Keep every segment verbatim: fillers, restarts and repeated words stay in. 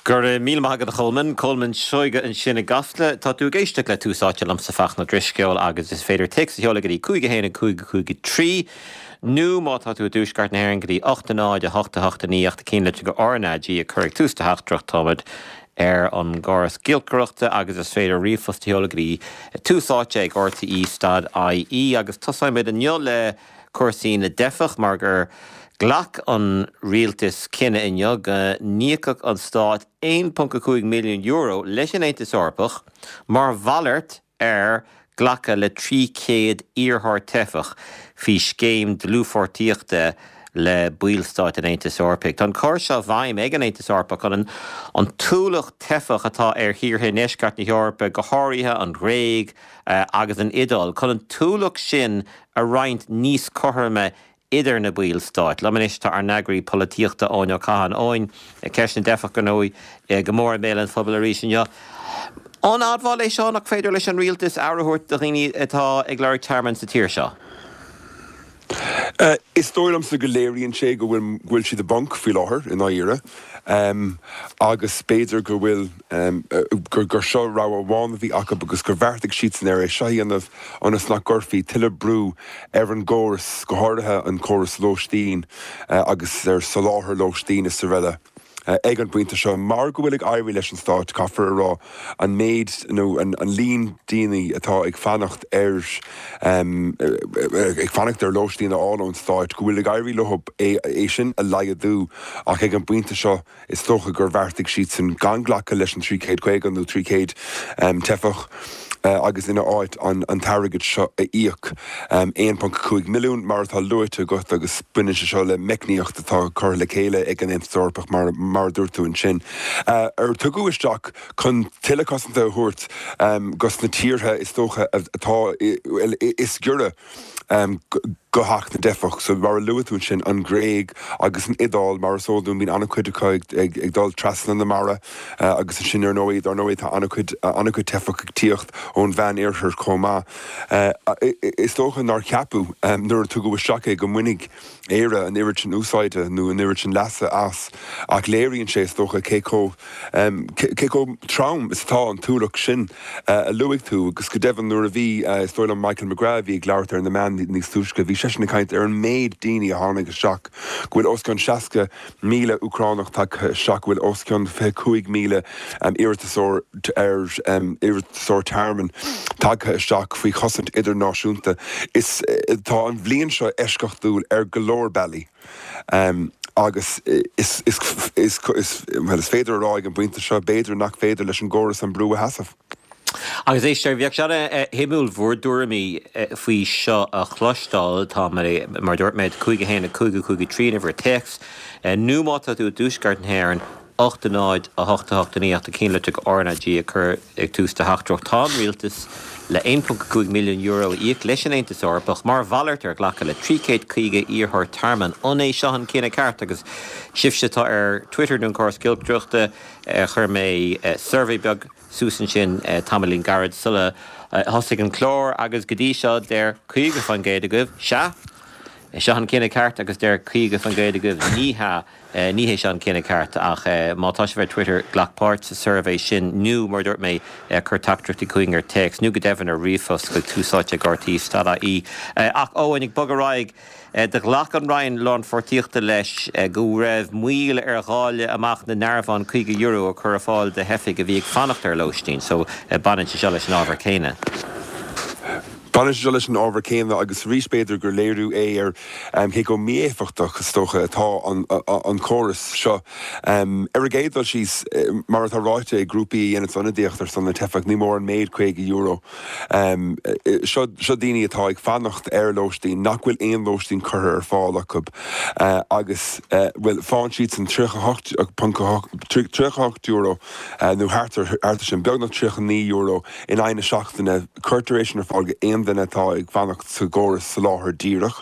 Go raibh míle maith agat, a Cholmáin. Colmán Seoige ansin i gCasla. Tá tú ag éisteacht le Tús Áite liomsa, Fachtna Ó Drisceoil, agus is féidir téacs a sheoladh go dtí cúig a haon a cúig a cúig a trí nó, má tá tú i dtuaisceart na hÉireann, go dtí ocht a náid a hocht a hocht a naoi ach do chinnlitir go R N A G a chur ag tús do theachtaireacht. Táimid ar an gcóras giolcaireachta agus is féidir ríomhphost a sheoladh go dtí tús áite ag R T E stad I E. Agus tosaímid inniu le cúrsaí na dteifeach, mar gur ghlac an rialtas cinneadh inniu go n-íocfadh an stát aon ponc cúig milliún euro leis an Aontas Eorpach mar mhalairt ar glacadh le trí chéad iarrthóir teifeach faoi scéim dlúthpháirtíochta le ballstáit an Aontais Eorpaigh. Tá an córas seo i bhfeidhm ag an Aontas Eorpach chun an, an t-ualach teifeach atá ar thíortha ndeisceart na hEorpa, go háirithe an Ghréig uh, agus an Iodáil, chun an t-ualach sin a roinnt níos cothroime idir na ballstáit. Liom anois tá ár n-eagraí polaitíochta, Eoin Ó Catháin. Eoin, ceist na dteifeach go go mór i mbéal an phobail arís inniu. An admháil é seo nach féidir leis an rialtas aire a thabhairt do dhaoine atá ag lorg tearmann sa tír seo? Uh, is dóigh liomsa go léiríonn sé go bhfuil bhfuil siad i bponc faoi láthair i ndáiríre um, agus b'fhéidir go bhfuil um, gur gur seo rogha amháin a bhí acu agus gur bheartaigh siad san ar é seo a dhéanamh ionas nach gcuirfí tuilleadh brú ar an gcóras, go háirithe an córas lóistín uh, agus ar soláthar lóistín is araile. Uh, ag an bpointe seo, mar go bhfuil ag éirí leis an stát, caithfear a rá, an méid nó an, an líon daoine atá ag fanacht ar um, ag fanacht ar lóistín a fháil ón stát, go bhfuil ag éirí leo é, é sin a laghdú, ach ag an bpointe seo is dócha gur bheartaigh siad san gan glacadh leis an trí chéad caoga nó trí chéad um, teifeach uh, agus ina áit an, an t-airgead seo a íoc, um, aon ponc cúig milliún mar atá luaite agat, agus baineann sé seo le meicníocht atá curtha le chéile ag an Aontas Eorpach, mar mar dúirt tú ansin. Uh, ar tugadh isteach chun tuilleadh cosanta a thabhairt um, dos na tíortha is dócha atá is giorra um, go theacht na dteifeach, so mar a luaigh tú sin, an Ghréig agus an Iodáil, mar is eol dúinn bíonn an-chuid acu ag, ag, ag dul trasna na mara uh, agus sin ar ndóigh ar ndóigh tá an-chuid an-chuid teifeach ag tíocht ón Mheánoirthear chomh maith. Uh, is dócha nár ceapadh um, nuair a tugadh isteach é go mbainfeadh Éire an oiread sin úsáide nó an oiread sin leasa as, ach léiríonn sé, is dócha, cé chomh um, cé chomh trom is atá an t-ualach sin uh, a luaigh tú. Agus go deimhin, nuair a bhí uh, is dóigh liom Michael McGrath bhí ag labhairt ar na meáin níos túisce, bhí seisean ag caint ar an méid daoine a tháinig isteach, go bhfuil os cionn seasca míle Úcránach tagtha isteach, go bhfuil os cionn fiche cúig míle um, iarratasóir ar um, iarratasóir tearmainn tagtha isteach faoi chosaint idirnáisiúnta. Is eh, tá an bhliain seo eisceachtúil ar go leor bealaí. Um, agus is, is, is, is, well, is féidir a rá ag an bpointe seo, b'fhéidir nach féidir leis an gcóras an brú a sheasamh. Agus é sé bheadh sé an-shuimiúil bhur dtuairimí faoi seo a chloisteáil. Tá mar dúirt mé cúig a haon cúig cúig trí uimhir téacs nó, má tá tú i dtuaisceart na hÉireann, ocht náid a hocht hocht naoi ach cinnlitir R N A G a chur ag tús do theachtaireacht. Tá an rialtas le aon ponc cúig milliún euro a íoc leis an Aontas Eorpach mar mhalairt ar glacadh le trí chéad caoga iarrthóir tearmainn. An é seo an cinneadh ceart? Agus sibhse atá ar Twitter nó an córas giolcaireachta, chuir mé suirbhé beag suas ansin tamaillín gairid sula thosaigh an clár, agus go dtí seo deir caoga faoin gcéad agaibh sea, seo an cinneadh ceart, agus deir caoga faoin gcéad agaibh ní hea, ní hé seo an cinneadh ceart. Ach má tá sibh ar Twitter, glac páirt sa suirbhé sin nó, mar dúirt mé, cuir teachtaireachtaí chugainn ar téacs nó go deimhin ar ríomhphost chuig túsáite gartaí stad I E. Ach Eoin, ag bogadh ar aghaidh, do ghlac an Roinn Lánpháirtíochta leis go raibh moill ar dháileadh amach na ndearbhán caoga euro a chur ar fáil do theifigh a bhí ag fanacht ar lóistín, so baineann sé seo leis an ábhar céanna. Baineann sé leis an ábhar céanna, agus arís b'fhéidir gur léiriú é ar um, cé chomh mí-éifeachtach, is dócha, atá an, an córas seo. Um, ar an gcéad dul síos, mar atá ráite ag grúpaí a dhéanann ionadaíocht ar son na dteifeach, ní mór an méid caoga euro. Um, seo, seo daoine atá ag fanacht ar lóistín nach bhfuil aon lóistín curtha ar fáil acu uh, agus uh, well, faigheann siad san tríocha hocht euro uh, nó thart ar sin, beagnach tríocha naoi euro in aghaidh na seachtaine. Cuirtear é sin ar fáil d'aon duine atá ag fanacht sa gcóras soláthar díreach.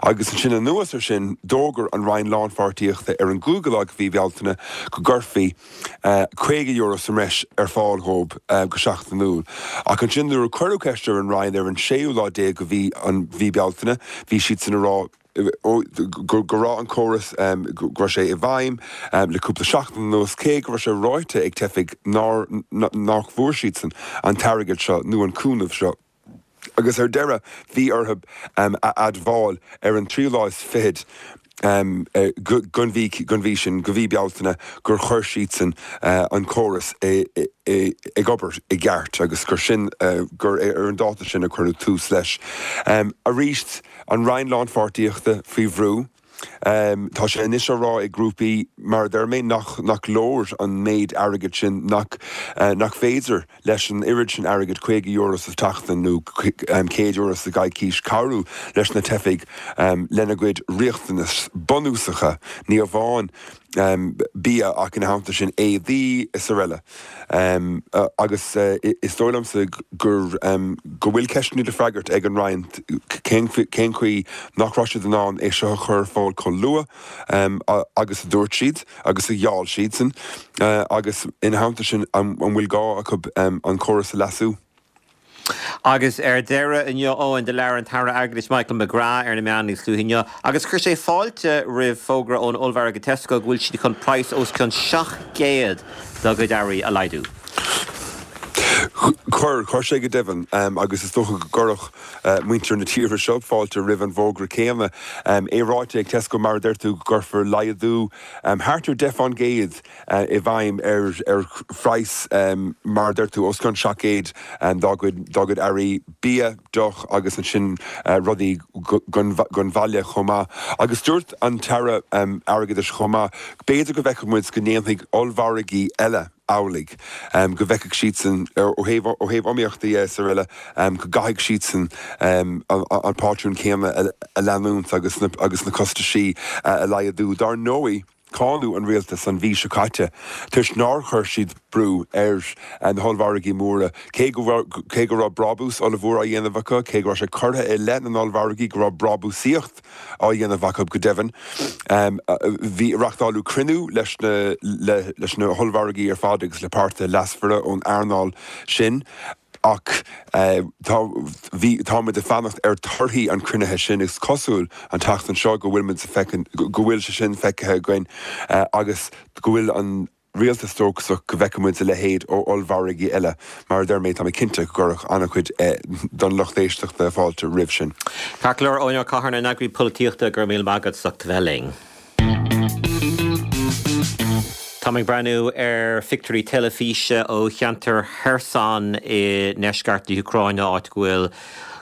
Agus ansin, anuas ar sin, d'fhógair an Roinn Lánpháirtíochta ar an gcúigiú lá de mhí Bealtaine go gcuirfí uh, caoga euro sa mbreis ar fáil dóibh uh, go seachtainiúil. Ach ansin, nuair a cuireadh ceist ar an Roinn ar an séú lá déag de mhí an mhí Bealtaine, bhí siad san ag rá go raibh an córas go raibh sé i bhfeidhm le cúpla seachtain anuas, cé go raibh sé ráite ag teifigh nár nach bhfuair siadsan an t-airgead seo nó an cúnamh seo. Agus ar deireadh bhí orthu a admháil ar an tríú lá is fichead den mhí sin, de mhí Bealtaine, gur chuir siadsan an córas ag obair i gceart agus gur sin, gur ar an dáta sin a cuireadh tús leis. Arís, an Roinn Lánpháirtíochta faoi bhrú. Tá sé anois á rá ag grúpaí, mar a deir mé, nach nach leor an méid airgid sin, nach nach féidir leis an oiread sin airgid, caoga euro sa tseachtain nó céad euro sa gcoicís, cabhrú leis na teifigh lena gcuid riachtanas bunúsacha, ní amháin bia ach ina theannta sin éadaí is araile. Agus is dóigh liomsa gur go bhfuil ceisteanna le freagairt ag an Roinn cén cén chaoi nach raibh siad in ann é seo a chur ar fáil chomh luath agus a dúirt siad agus a gheall siadsan agus ina theannta sin an bhfuil gá acu an córas a leasú. Agus ar deireadh inniu, Eoin, do labhair an tAire Airgeadais Michael McGrath ar na meáin níos luaithe inniu agus chuir sé fáilte roimh fógra ón ollmhargadh Tesco go bhfuil siad chun praghas os cionn seacht gcéad dá gcuid earraí a laghdú. Chuir, chuir sé go deimhin, agus is dócha go gcuirfeadh muintir na tíre seo fáilte roimh an bhfógra céanna. É ráite ag Tesco, mar a deir tú, go gcuirfear laghdú thart ar deich fán gcéad i bhfeidhm ar ar phraghas, mar a deir tú, os cionn seacht gcéad dá gcuid dá gcuid earraí, bia, deoch agus ansin rudaí don don bhaile chomh maith. Agus dúirt an tAire Airgeadais chomh maith, b'fhéidir go bhfeicfidh muid go ndéanfaidh ollmhargaí eile amhlaidh, go bhfeicfidh siadsan, ó thaobh ó thaobh iomaíochta dhe is araile, go gcaithfidh siadsan an pátrún céanna a leanúint agus na agus na costaisí a laghdú. Dar ndóigh, cáineadh an rialtas an mhí seo caite toisc nár chuir siad brú ar na hollmhargaí móra, cé go raibh cé go raibh brabús ollmhór á dhéanamh acu, cé go raibh sé curtha i leith na n-ollmhargaí go raibh brabúsaíocht á dhéanamh acu go deimhin. Bhí reachtáladh cruinniú leis na leis na hollmhargaí ar fad agus le páirtithe leasmhara ón earnáil sin ach tá bhí táimid ag fanacht ar torthaí an chruinnithe sin. Is cosúil an tseachtain seo go bhfuil muid go bhfuil sé sin feicthe againn agus go bhfuil an rialtas dóchasach go bhfeicfidh muid a leithéid ó ollmhargaí eile. Mar a deir mé, tá mé cinnte go gcuirfeadh an-chuid den lucht éisteachta fáilte roimh sin. Ceart go leor, Eoin Ó Catháin, ár n-eagraí polaitíochta, go raibh míle maith agat as ucht a bheith linn. Táim ag breathnú ar phictiúirí teilifíse ó cheantar Kherson i ndeisceart na hÚcráine, áit go bhfuil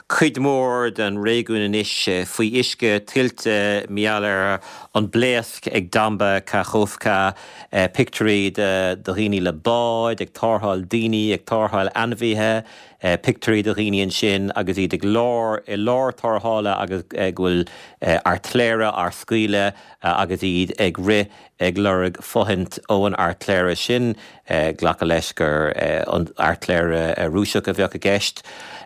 cuid mhór den réigiún anois faoi uisce, tuilte, mar gheall ar an bpléasc ag Damba Kakhovka, pictiúirí de dhaoine le báid ag tarrtháil daoine, ag tarrtháil ainmhithe, pictiúirí de dhaoine ansin agus iad ag lár, i lár tarrthála agus go bhfuil airtléire á scaoileadh agus iad ag rith ag lorg fothaint ón airtléire sin. Glacadh leis gur an airtléire Rúiseach a bheadh i gceist.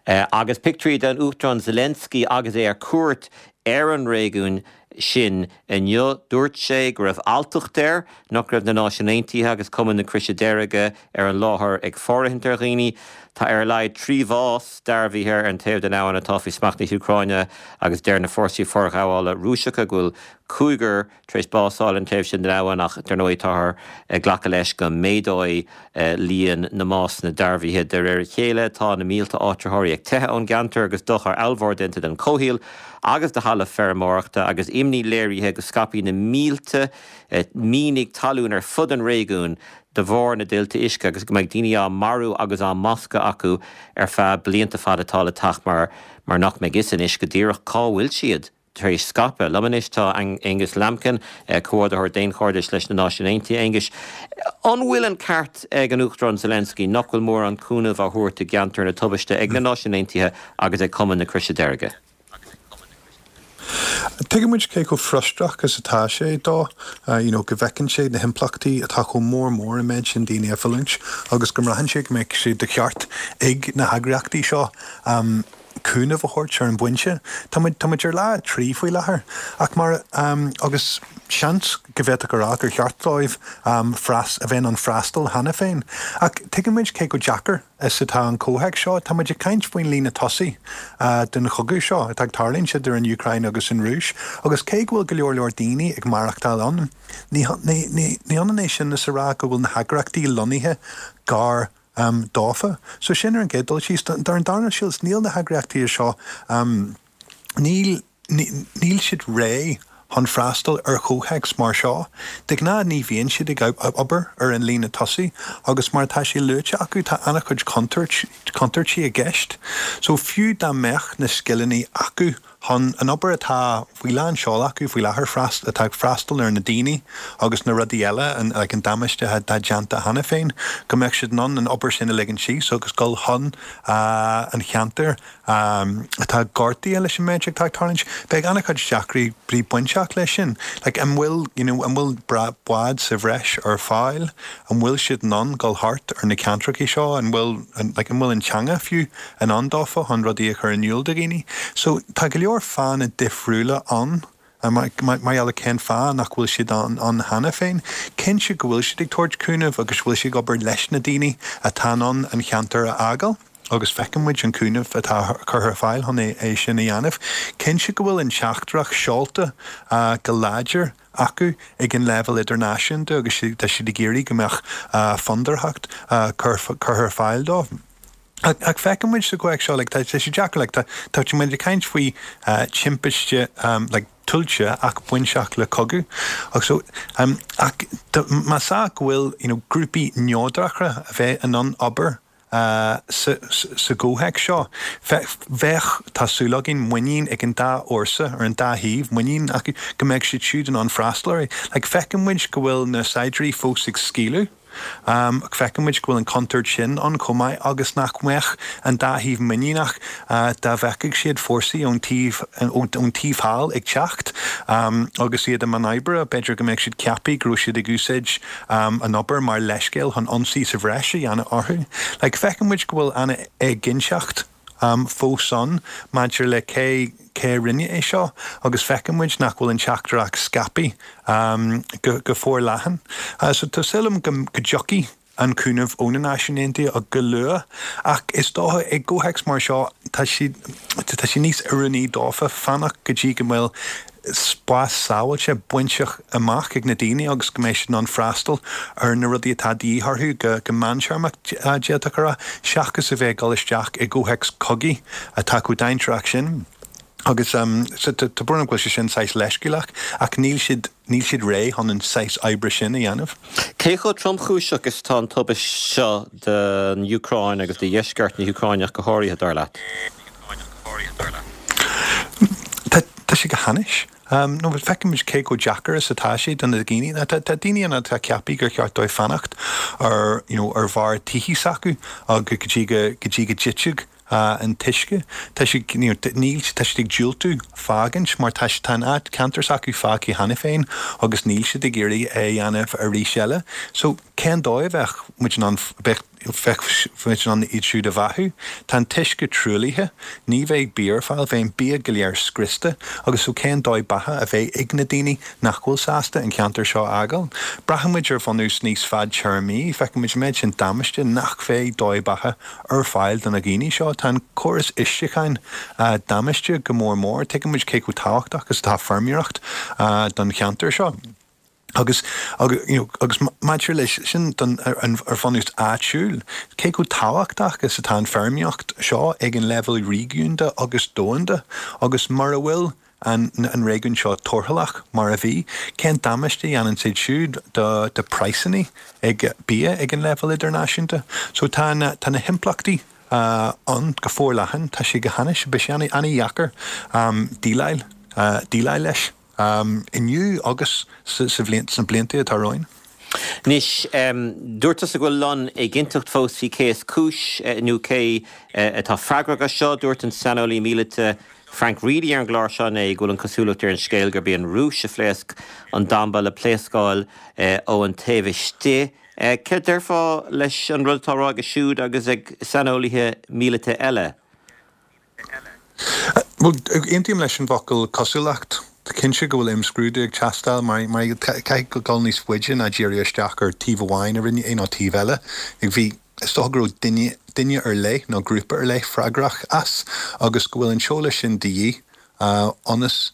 Agus pictiúirí den Uachtarán Zelensky agus é ar cuairt ar an réigiún sin inniu. Dúirt sé go raibh alltacht air nach raibh na Náisiúin Aontaithe agus Cumann na Croise Deirge ar an láthair ag fóirithint ar dhaoine. Tá ar a laghad trí bhás dearbhaithe ar an taobh den abhainn atá faoi smacht na hÚcráine agus deir na fórsaí forghabhála Rúiseacha go bhfuil cúigear tar éis bás a fháil an taobh sin den abhainn ach dar ndóigh táthar ag glacadh leis go méadóidh líon na mbásanna dearbhaithe de réir a chéile. Tá na mílte áitritheoirí ag teitheadh ón gceantar agus dochar ollmhór déanta don chomhshaol agus do thalamh feirmeoireachta agus imní léirithe go scaipfidh na mílte mianaigh talún ar fud an réigiúin de bharr na dtuilte uisce agus go mbeidh daoine á marú agus á mbascadh acu ar feadh blianta fada atá le teacht mar mar nach mbeidh fhios anois go díreach cá bhfuil siad tar éis scaipeadh. Liom anois tá Aonghus Lambkin, Comhordaitheoir Daonchairdis leis na Náisiúin Aontaithe. Aonghus, an bhfuil an ceart ag an Uachtarán Zelensky nach bhfuil mórán cúnaimh á thabhairt i gceantar na tubaiste ag na Náisiúin Aontaithe agus ag Cumann na Croise Deirge? Tuigeann muid cé chomh frustrach is atá sé dó, you know, go bhfeiceann sé na himpleachtaí atá chomh mór mór an méid sin daoine a fhulaingt agus go mbraitheann sé go mbeadh sé de cheart ag na heagraíochtaí seo um, cúnamh a thabhairt ar an bpointe. Tá muid tá muid ar lá a trí faoi láthair ach mar agus seans go bhféadfadh a rá gur cheart dóibh freas a bheith in ann freastal cheana féin. Ach tuigeann muid cé chomh deacair is atá an comhthéacs seo. Tá muid ag caint faoin líne tosaigh den chogadh seo atá ag tarlúint idir an Úcráin agus an Rúis agus cé go bhfuil go leor leor daoine ag maireachtáil ann, ní hionann é sin is a rá go bhfuil na heagraíochtaí lonnaithe gar dófa. So sin ar an gcéad dul síos. Ar an darna síos, níl na heagraíochtaí seo, níl, níl siad réidh chun freastal ar chomhthéacs mar seo. De ghnáth ní bhíonn siad ag obair ar an líne tosaigh agus mar atá sé luaite acu tá an-chuid contúirtí i gceist. So fiú dá mbeadh na scileanna acu chun an obair atá faoi lán seoil acu faoi láthair, atá ag freastal ar na daoine agus na rudaí eile, an like an damáiste atá déanta cheana féin, go mbeadh siad in ann an obair sin a ligean síos agus dul chun an cheantair atá gortaithe leis an méid atá ag tarlúint. Beidh an-chuid deacrachtaí bainteach leis sin. Like an bhfuil you know an bhfuil bád sa bhreis ar fáil? An bhfuil siad in ann dul thart ar na ceantracha seo? An bhfuil like an bhfuil an teanga fiú in ann dófa chun rudaí a chur in iúl do dhaoine? So tá go leor fáthanna difriúla ann mar gheall ar cén fáth nach bhfuil siad ann cheana féin. Cinnte go bhfuil siad ag tabhairt cúnaimh agus go bhfuil siad ag obair leis na daoine atá in ann an cheantar a fhágáil agus feiceann muid an cúnamh atá curtha ar fáil chun é sin a dhéanamh. Cinnte go bhfuil an teachtaireacht seolta go láidir acu ag an leibhéal idirnáisiúnta agus tá siad ag iarraidh go mbeadh fondúireacht curtha ar fáil dóibh. Ach feiceann muid sa gcomhthéacs seo, like, tá sé deacair, like, tá tá muid ag caint faoi timpiste like, tuilte ach bainteach le cogadh. Ach so, um, ach más ea go bhfuil you know, grúpaí neodracha a bheith in ann obair uh, sa, sa gcomhthéacs seo, bheadh, tá súil againn, muinín ag an dá fhórsa ar an dá thaobh, muinín acu go mbeadh siad siúd in ann freastal air. Like, feiceann muid go bhfuil na saighdiúirí fós ag scaoileadh. Feiceann muid go bhfuil an chontúirt sin ann chomh maith agus nach mbeadh an dá thaobh muiníneach dá bhfeicfeadh siad fórsaí ón taobh ón taobh thall ag teacht agus iad i mbun oibre. B'fhéidir go mbeadh siad ceaptha go raibh siad ag úsáid an obair mar leithscéal chun ionsaí sa bhreis a dhéanamh orthu. Like, feiceann muid go bhfuil an-éiginnteacht fós ann maidir le cé cé a rinne é seo agus feiceann muid nach bhfuil an teachtaireacht scaipthe go forleathan. So tá súil agam go dtiocfaidh an cúnamh ó na Náisiúin Aontaithe go luath ach is dócha i gcomhthéacs mar seo tá sé tá sé níos oiriúnaí dófa fanacht go dtí go bhfuil spás sábháilte bainte amach ag na daoine agus go mbeidh siad in ann freastal ar na rudaí atá de dhíth orthu go go meántéarmach, d'fhéadfadh a rá, seachas a bheith ag dul isteach i gcomhthéacs cogaidh atá chomh dainséarach sin. Agus so tá brón orm go bhfuil sé sin saghas leithscéalach ach níl siad níl siad réidh chun an saghas oibre sin a dhéanamh. Cé chomh tromchúiseach is atá an tubaiste seo don Úcráin agus do dheisceart na hÚcráine go háirithe, dar leat? Tá tá sé go hainnis. Nó feiceann muid cé chomh deacair is atá sé do na daoine. Tá tá daoine ann atá ceaptha gur cheart dóibh fanacht ar you know ar bharr tithe s'acu go dtí go go dtí go dtitfidh an t-uisce. Tá siad you know níl tá siad ag diúltú fágaint mar tá tá an áit ceantar s'acu fágtha cheana féin agus níl siad ag iarraidh é a dhéanamh arís eile. So cén dóigh a bheadh muid in ann bheadh bheadh muid in ann iad siúd a bheathú? Tá an t-uisce truaillithe, ní bheidh bia ar fáil, bheidh an bia go léir scriosta agus so cén dóigh beatha a bheidh ag na daoine nach bhfuil sásta an ceantar seo a fhágáil? Braitheann muid ar bhunús níos fadtéarmaí, feiceann muid an méid sin damáiste nach bheidh dóigh beatha ar fáil do na daoine seo. Tá an córas uisceacháin damáiste go mór mór. Tuigeann muid cé chomh tábhachtach is atá feirmeoireacht don cheantar seo. Agus you know agus maidir leis sin don ar ar bhunús áitiúil, cé chomh tábhachtach is atá an feirmeoireacht seo ag an leibhéal réigiúnda agus domhanda agus mura bhfuil an an réigiún seo torthúlach mar a bhí, cén damáiste a dhéanann siad siúd do do praghsanna ag bia ag an leibhéal idirnáisiúnta. So tá na tá na himpleachtaí ann go forleathan, tá sé go hainnis, beidh sé an-dheacair déileáil déileáil leis inniu agus sa bhliain sna blianta atá romhainn. Anois, dúirt tusa go bhfuil a lán éiginnteacht fós faoi cé is cúis nó cé atá freagrach as seo. Dúirt an saineolaí míleata Frank Reidy ar an gclár seo inné go bhfuil an chosúlacht ar an scéal gurb í an Rúis a phléasc an damba le pléascáil ó an taobh istigh. Céard déarfá leis an rud atá á rá aige siúd agus ag saineolaithe míleata eile? Bhuel, aontaím leis an bhfocal cosúlacht. Tá cinnte go bhfuil imscrúdú ag teastáil mar mar caithfidh dul níos faide ná díriú isteach ar taobh amháin a rinne é nó taobh eile. Bhí is dócha go raibh duine duine ar leith nó grúpa ar leith freagrach as agus go bhfuil an t-eolas sin de dhíth ionas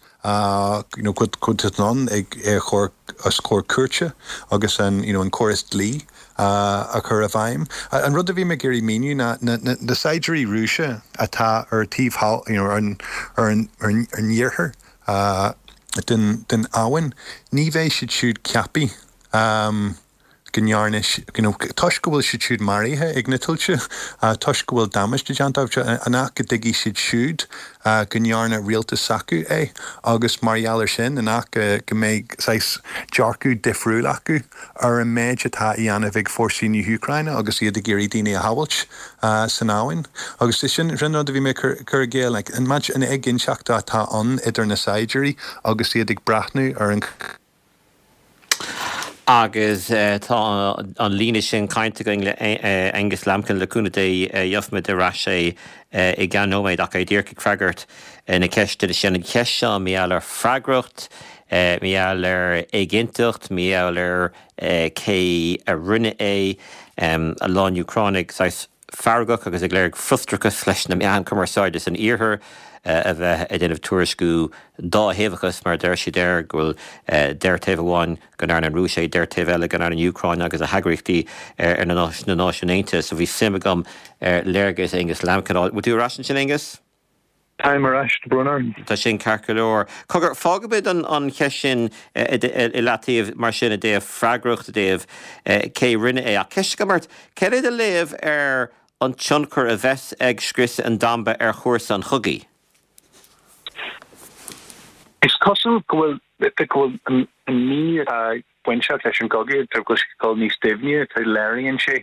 you know go bhfuil ann ag chur os comhair cúirte agus an you know an córas dlí a chur i bhfeidhm. An rud a bhí mé ag iarraidh míniú ná na na saighdiúirí Rúise atá ar taobh you know ar an ar an ar an iarthar den den abhainn, ní bheidh siad siúd ceaptha go ndearna you know toisc go bhfuil siad siúd maraithe ag na tuilte, toisc go bhfuil damáiste déanta an ea go dtuigfidh siad siúd go ndearna rialtas s'acu é agus mar gheall air sin an ea go go mbeidh saghas dearcadh difriúil acu ar an méid atá á dhéanamh ag fórsaí na hÚcráine agus iad ag iarraidh daoine a shábháilt san abhainn. Agus is sin sin rud a bhí mé cur cur i gcéill like an méid an éiginnteacht atá ann idir na saighdiúirí agus iad ag breathnú ar an Agus tá an líne sin caillte againn le Angus Lambkin le cúnamh Dé gheobhaimid ar ais é i gceann nóiméad ach é díreach ag freagairt na ceiste sin an cheist seo mar gheall ar freagracht, mar gheall ar éiginnteacht, mar gheall ar cé a rinne é a lán Úcránaigh saghas feargach agus ag léiriú frustrachas leis na meáin cumarsáide san iarthar a bheith ag déanamh tuairisciú dáthaobhachas mar deir siad air go bhfuil deir taobh amháin go ndearna an Rúis é deir taobh eile go ndearna an Úcráin agus na heagraíochtaí ar na Náisiúin Aontaithe, so bhí suim agam ar léargas Angus Lambkin. Bhfuil tú ar ais ansin Angus? Táim ar ais Bronagh. Tá sin ceart go leor. Cogar fágfaimid an an cheist sin i leataobh mar sin i dtaobh freagracht i dtaobh cé rinne é ach ceist agam ort céard é do léamh ar an tionchar a bheas ag scriosadh an damba ar chúrsa an chogaidh. Is cosúil go bhfuil go bhfuil an míniú atá bainteach leis an gcogadh tá go níos doimhne tá léiríonn sé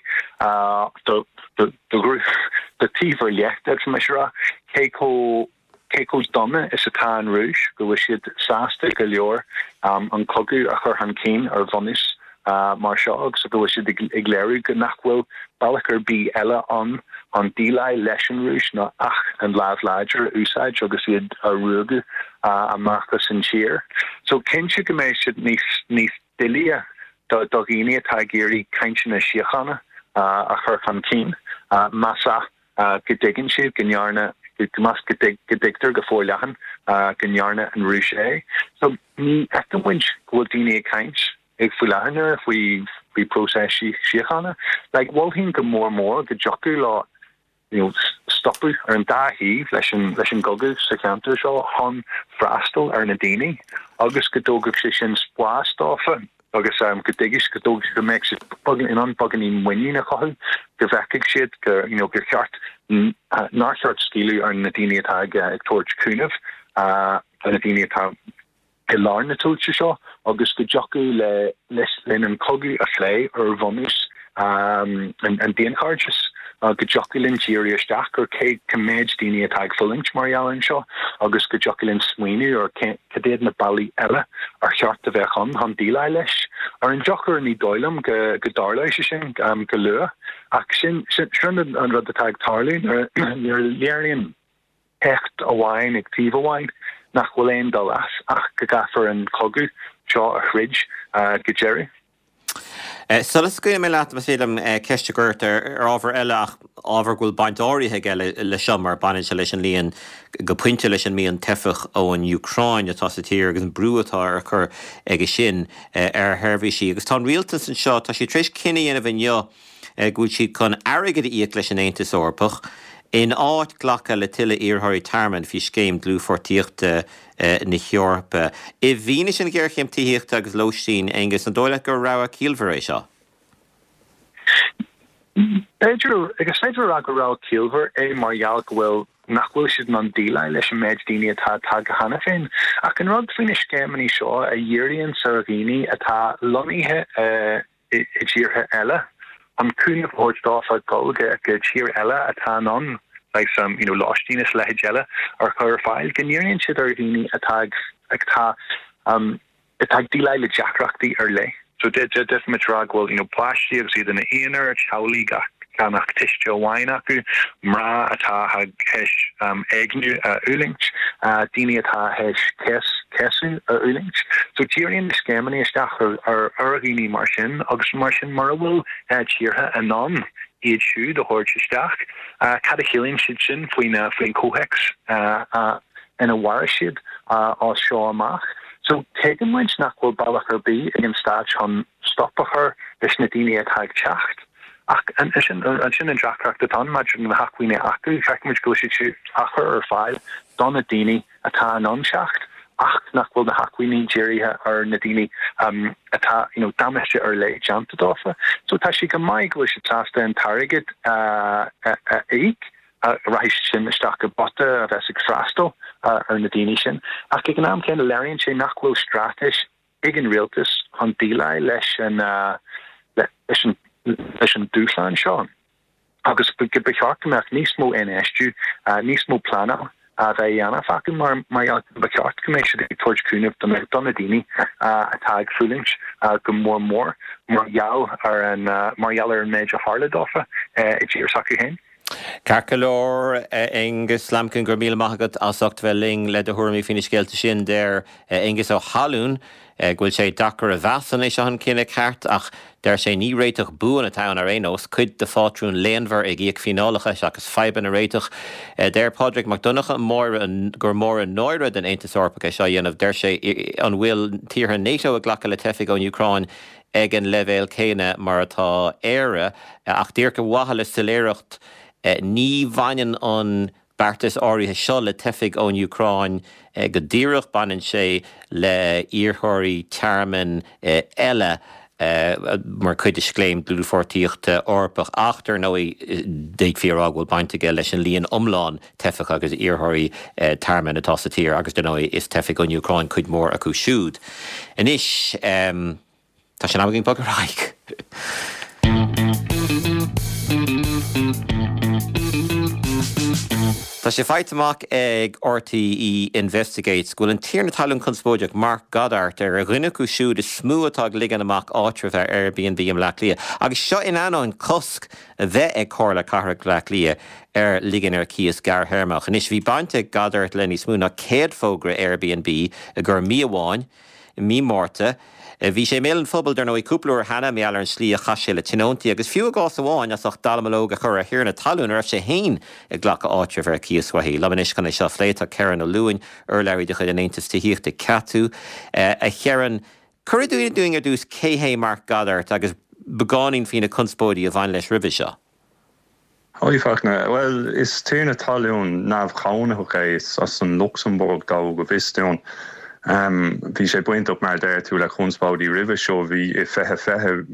do do do taobh ar leith me rá cé chomh cé chomh dona is atá an Rúis go bhfuil siad sásta go leor um, an cogadh a chur chun cinn ar bhunús uh, mar seo agus go bhfuil siad ag léiriú go nach bhfuil bealach ar bith eile an an déileáil leis an Rúis ná ach an lámh láidir a úsáid agus iad a ruaigeadh uh, amach as an tír. So cinnte go mbeidh siad níos níos doiligh do do dhaoine atá ag iarraidh cainteanna síochána uh, a chur chun cinn uh, más ea uh, go dtuigeann siad go ndearna más go dtuigtear go forleathan uh, go ndearna an Rúis é. So ní fheicimid go bhfuil daoine ag caint ag faoi láthair faoi faoi próiseas síochána. Like mholfainn go mór mór go dtiocfadh le you know, stopadh ar an dá thaobh leis an leis an gcogadh sa cheantar seo chun freastal ar na daoine agus go dtógfadh sé sin spás dófa agus um, go dtigis go dóg go mbeidh siad in ann beagáinín muinín a chothú go bhfeicfidh siad go you know, gur cheart nár cheart scaoileadh ar na daoine atá ag ag tabhairt cúnamh uh, na daoine atá i lár na tuilte seo agus go dtiocfadh le leis linn an cogadh a phlé ar bhunús um, an, an daonchairdeas uh, go dtiocfadh linn díriú isteach ar cé cá mhéad daoine atá ag fulaingt mar gheall air seo agus go dtiocfadh linn smaoineamh ar cad iad na bealaí eile ar cheart a bheith chun chun déileáil leis. Ar an drochuair ní dóigh liom go go dtarlóidh sé sin um, go luath ach sin sin sin an rud atá ag tarlú nuair a léiríonn éacht amháin ag taobh amháin nach bhfuil aon dul as ach go gcaithfear an cogadh seo a throid uh, go deireadh. Uh, Sula scaoilfidh mé leat más féidir liom ceist a chur ort ar ar ábhar eile ach ábhar go bhfuil baint áirithe aige le, le seo mar baineann sé leis an líon go pointe leis an líon teifeach ón Úcráin atá sa tír agus an brú atá ar chur aige sin uh, ar sheirbhísí. agus tá an rialtas anseo tá sé tar éis cinneadh a dhéanamh inniu uh, go bhfuil siad chun airgead a íoc leis an Aontas Eorpach in áit glacadh le tuilleadh iarrthóirí tearmainn faoi scéim dlúthpháirtíochta na hEorpa. I bhfianaise an ghéarchéim tithíochta agus lóistín Angus an dóigh leat gur rogha ciallmhar é seo. B'fhéidir agus féidir rá gur rogha ciallmhar é mar gheall go bhfuil nach bhfuil siad in ann déileáil leis an méid daoine atá tagtha cheana féin. Ach an rud faoi na scéimeanna seo a dhíríonn ar dhaoine atá lonnaithe uh, i dtíortha eile an cúnamh a thabhairt dófa dul go go tír eile atá ann like some you know lóistín is leithéid eile ar chur ar fáil go ndíríonn siad ar dhaoine atá atá um, atá ag déileáil le deacrachtaí ar leith. So d'fhéadfaimis rá go bhfuil you know, páistí agus iad ina aonar teaghlaigh gach gan ach tuiste amháin acu, mná atá théis éigniú a fhulaingt, daoine atá théis céasadh a fhulaingt. So díríonn na scéimeanna isteach ar ar dhaoine mar sin agus mar sin mura bhfuil tíortha in ann iad siúd a thabhairt isteach, cad a chiallaíonn siad sin faoin faoin comhthéacs ina mhairfidh siad as seo amach. So tuigeann muid nach bhfuil bealach ar bith ag an stát chun stop a chur leis na daoine atá ag teacht. Ach sin ansin an deacracht atá ann maidir le na hacmhainní acu, feicimid go bhfuil siad á chur ar fáil do na daoine atá in ann teacht ach nach bhfuil na hacmhainní dírithe ar na daoine atá you know damáiste ar leith déanta dófa. So tá sé go maith go bhfuil siad sásta an t-airgead a íoc rachaidh sin isteach i bpota a bheas ag freastal ar na daoine sin. Ach ag an am céanna léiríonn sé nach bhfuil straitéis ag an rialtas chun déileáil leis an leis an leis an dúshlán seo. Agus ba cheart go mbeadh níos mó infheistiú, níos mó pleanáil a bheith á dhéanamh acu mar mar ba cheart go mbeadh siad ag tabhairt cúnamh do na daoine atá ag fulaingt go mór mór mar gheall ar an mar gheall ar an méid a tharla dófa i dtír s'acu féin. Ceart go leor, Aonghus Lambkin, go raibh míle maith agat as ucht bheith linn le do thuairimí faoi na scéalta sin. Deir Aengus Ó hAlún go bhfuil sé deacair a mheas an é seo an cinneadh ceart ach deir sé ní réiteach buan atá ann ar aon nós, cuid de phátrún léanmhar ag íoc fíneálacha seachas fadhbanna a réiteach. Deir Pádraig Mac Donncha gur mór an náire don Aontas Eorpach é seo a dhéanamh. Deir sé an bhfuil tíortha NATO ag glacadh le teifigh ón Úcráin ag an leibhéal céanna mar atá Éire ach díreach ar mhaithe le soiléireacht ní bhaineann an beartas áirithe seo le teifigh ón Úcráin go díreach, baineann sé le hiarrthóirí tearmainn eile mar chuid de Scéim Dlúthpháirtíochta Eorpach ach dar ndóigh d'fhéadfaí a rá go bhfuil baint aige leis an líon iomlán teifeach agus iarrthóirí tearmainn atá sa tír agus dar ndóigh is teifigh ón Úcráin cuid mhór acu siúd. Anois tá sé in am againn bogadh ar aghaidh. Tá sé faighte amach ag RTÉ Investigates go bhfuil an tiarna talún conspóideach Mark Goddard ar dhuine acu siúd is mó atá ag ligean amach áitribh ar Airbnb i mBleá Cliath agus seo in ainneoin cosc a bheith ag Comhairle Cathrach Bhaile Átha Cliath ar ligean ar cíos gearrthéarmach. Anois bhí baint ag Goddard le níos mó ná céad fógra Airbnb i gcomhair mí amháin i mí Márta. Bhí sé i mbéal an phobail, dar ndóigh, cúpla uair cheana, mar gheall ar an slí a chaith sé le tionóntaí agus fiú i gcás amháin as ucht dallamullóg a chur ar thiarna talún a raibh sé féin ag glacadh áitribh ar cíos uaithi. Liom anois chun é seo a phlé tá Kerron Ó Luain, urlabhraí de chuid an Aontais Tithíochta, CATU. A Cherron, cuir in iúl dúinn ar dtús cé hé Mark Goddard agus beagáinín faoi na conspóidí a bhain leis roimhe seo. Haigh Fachtna, Bhuel, is tiarna talún neamhchónaitheach é, is as an Lucsamburg dó go bhfios dúinn. Bhí sé bainteach, mar a deir tú, le conspóidí roimhe seo. Bhí i fiche fiche,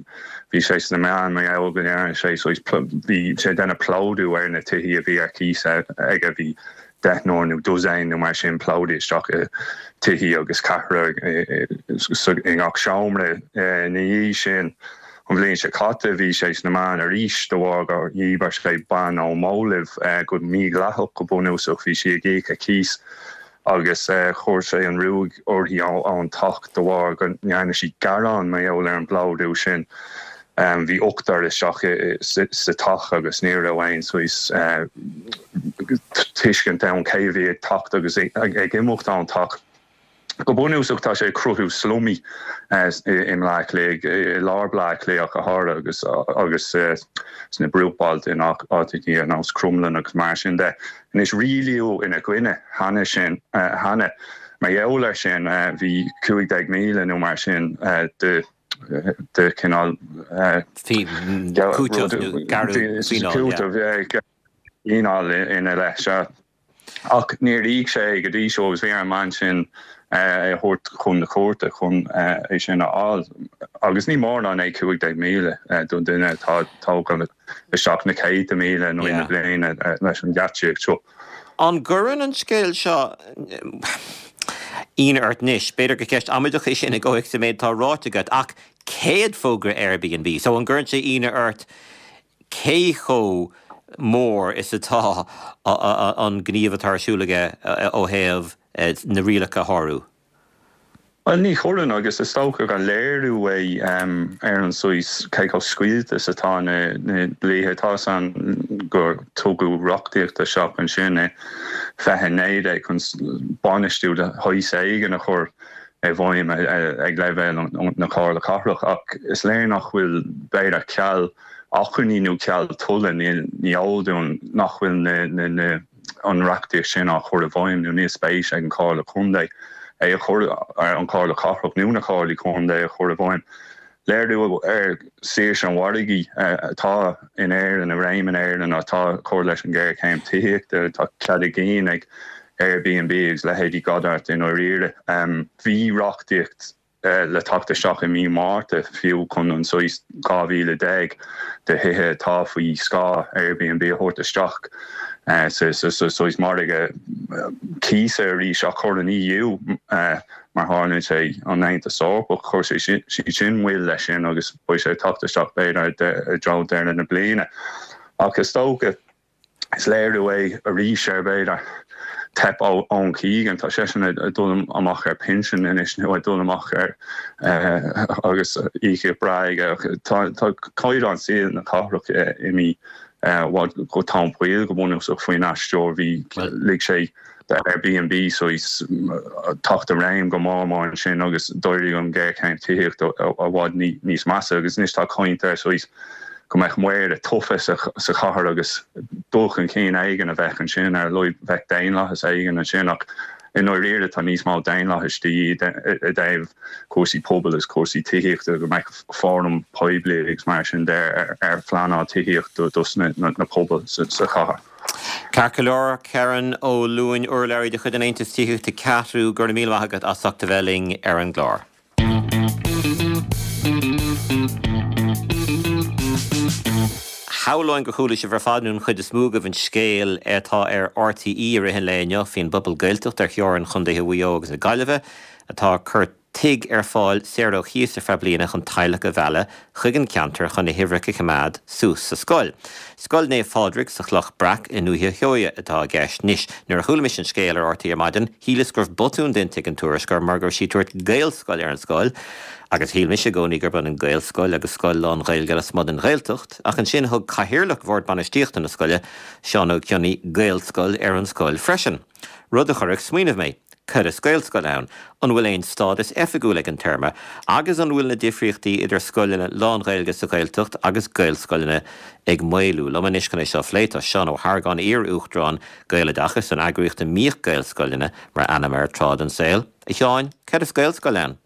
bhí sé sna meáin mar gheall go ndearna sé saghas, bhí sé ag déanamh plódú ar na tithí a bhí ar cíos aige. Bhí deichniúr nó dosaen nó mar sin plódaithe isteach i tithí agus ceathrar i ngach seomra. Ina dhiaidh sin, An bhliain seo caite bhí sé sna meáin arís de bharr gur dhíbir sé bean ón mBólaiv go mídhleathach go bunúsach. Bhí sí ag íoc a cíos agus chuir sé an ruaig uirthi ón teach de bharr go ndearna sí gearán mar gheall ar an bplódú sin. Bhí ochtar isteach sa teach agus ní raibh aon saghas tuiscint ann cé a bhí ag teacht agus ag imeacht ón teach. Go bunúsach tá sé ag cruthú slumaí i mBleá Cliath, i lár Bleá Cliath ach go háirithe agus agus sna bruachbailte in áiteachaí ar nós Crumlin agus mar sin de. Anois rialaíodh ina gcoinne cheana sin cheana. Mar gheall air sin bhí cúig déag míle nó mar sin de de chineál cúiteamh nó gearradh fíneáil, fíneáil ina leith. Sea. Ach níor íoc sé é go dtí seo agus bhí ar an mbean sin é a thabhairt chun na cúirte chun é sin a fháil. Agus ní mórán é cúig déag míle don duine atá ag tógáil isteach na céadta míle in aghaidh na bliana leis an gheáitsíocht seo. An gcuireann an scéal seo ionadh ort anois? B'fhéidir gur ceist amaideach é sin i gcomhthéacs an méid atá ráite agat, ach céad fógra Airbnb, so an gcuireann sé ionadh ort cé chomh mór is atá an gníomh atá ar siúl aige ó thaobh na rialacha a shárú? Bhuel, ní chuireann, agus is dócha gur léiriú é ar an saghas cé chomh scaoilte is atá na dlíthe. Tá 'fhios a'inn gur tugadh reachtaíocht isteach ansin i fiche naoi déag chun bainistiú de shaghas éigin a chur i bhfeidhm ag leibhéal na Comhairle Cathrach ach is léir nach bhfuil b'fhéidir ceal acmhainní nó ceal tola, ní eol dúinn nach bhfuil na an reachtaíocht sin á chur i bhfeidhm nó níl spéis ag an Chomhairle Contae é a chur, an Chomhairle Cathrach nó na Comhairlí Contae a chur i bhfeidhm. Léiriú ar saoirse an mhargaidh atá in Éirinn, i réim in Éirinn atá ag cur leis an ghéarchéim tithíochta. Tá cead a gcinn ag Airbnb agus leithéidí Godart i ndáiríre. Bhí reachtaíocht le teacht isteach i mí Márta fiú chun an saghas dhá mhíle déag de thithe atá faoi scáth Airbnb a thabhairt isteach sa saghas margadh cíosa arís ach chuir an EU, mar tharlaíonn sé, an Aontas Eorpach, chuir siad sin moill leis sin agus beidh sé ag teacht isteach b'fhéidir i dtreo deireadh na bliana. Ach is dócha. Is léiriú é arís ar, b'fhéidir, teip Eoin Keegan. Tá seisean ag dul amach ar pinsean anois, nó ag dul amach ar agus íocaíocht breá aige. Tá caighdeán saoil na cathrach imithe go tóin poill go bunúsach faoina stiúir. Bhí, lig sé d'Airbnb saghas teacht i réim go mór mór ansin agus d'éirigh an ghéarchéim tithíochta i bhfad níos measa agus anois tá caint ar saghas go mbeadh méara tofa sa chathair agus dul chun cinn éigin a bheadh ansin, ar a laghad bheadh daonlathas éigin ansin ach i ndáiríre tá níos mó daonlathais de dhíth i dtaobh cúrsaí pobail agus cúrsaí tithíochta, go mbeadh fóram poiblí agus mar sin de ar phleanáil tithíochta dos na pobail sa chathair. Ceart go leor, Kerron Ó Luain, urlabhraí de chuid an Aontais Tithíochta Ceathrú, go raibh míle maith agat as ucht a bheith linn ar an gclár. Shamhlóinn gur chuala sibh ar fad, nó an chuid is mó agaibh, an scéal atá ar RTÉ i rith an lae inniu faoin bpobal Gaeltachta ar theorainn chontaetha Mhaigh Eo agus na Gaillimhe atá ag cur tigh ar fáil saor ó chíos ar feadh bliana chun teaghlach a mhealladh chuig an gceantar chun na huimhreacha a choimeád suas sa scoil. Scoil Naomh Phádraig sa Chloch Breac i nDúiche Sheoighe atá i gceist. Anois, nuair a chuala mise an scéal ar RTÉ ar maidin, shíleas go raibh botún déanta ag an tuairisceoir mar go raibh sí ag tabhairt Gaelscoil ar an scoil agus shíl mise i gcónaí gurb ionann Gaelscoil agus scoil lán-Ghaeilge lasmuigh den Ghaeltacht, ach ansin thug cathaoirleach Bhord Bainistíochta na scoile, Seán Ó Cionnaith, Gaelscoil ar an scoil freisin. Rud a chuir ag smaoineamh mé. Cad is Gaelscoil ann? An bhfuil aon stádas oifigiúil ag an téarma? Agus an bhfuil na difríochtaí idir scoileanna lán-Ghaeilge sa Ghaeltacht agus Gaelscoileanna ag maolú? Liom anois chun é seo a phlé tá Seán Ó hArgáin, iar-Uachtarán Gaeloideachas, an eagraíocht a mbíodh Gaelscoileanna mar ainm air tráth den saol. A Sheáin, cad is Gaelscoil ann?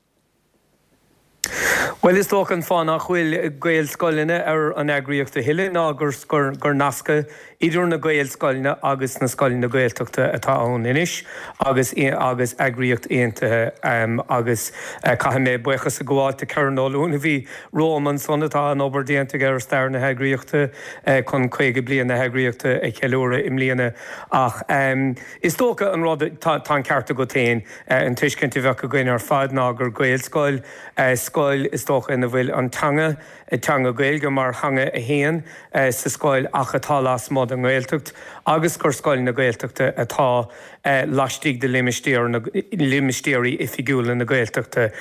Bhuel, is dócha an fáth nach bhfuil Gaelscoileanna ar an eagraíocht a thuilleadh ná gur gur nascadh idir na Gaelscoileanna agus na scoileanna Gaeltachta atá ann anois agus agus eagraíocht aontaithe agus caithfidh mé buíochas a ghabháil do Kerron Ó Luain a bhí romham ansan atá an obair déanta aige ar stair na heagraíochta chun caoga bliain na heagraíochta a cheiliúradh i mbliana ach is dócha an rud tá an ceart agat féin an tuiscint a bheadh againn ar fad ná gur Gaelscoil scoil is dócha ina bhfuil an teanga, teanga Gaeilge mar theanga a haon sa scoil ach atá lasmuigh den nGaeltacht agus gur scoileanna Gaeltachta atá laistigh de limistéar na, limistéirí oifigiúla na Gaeltachta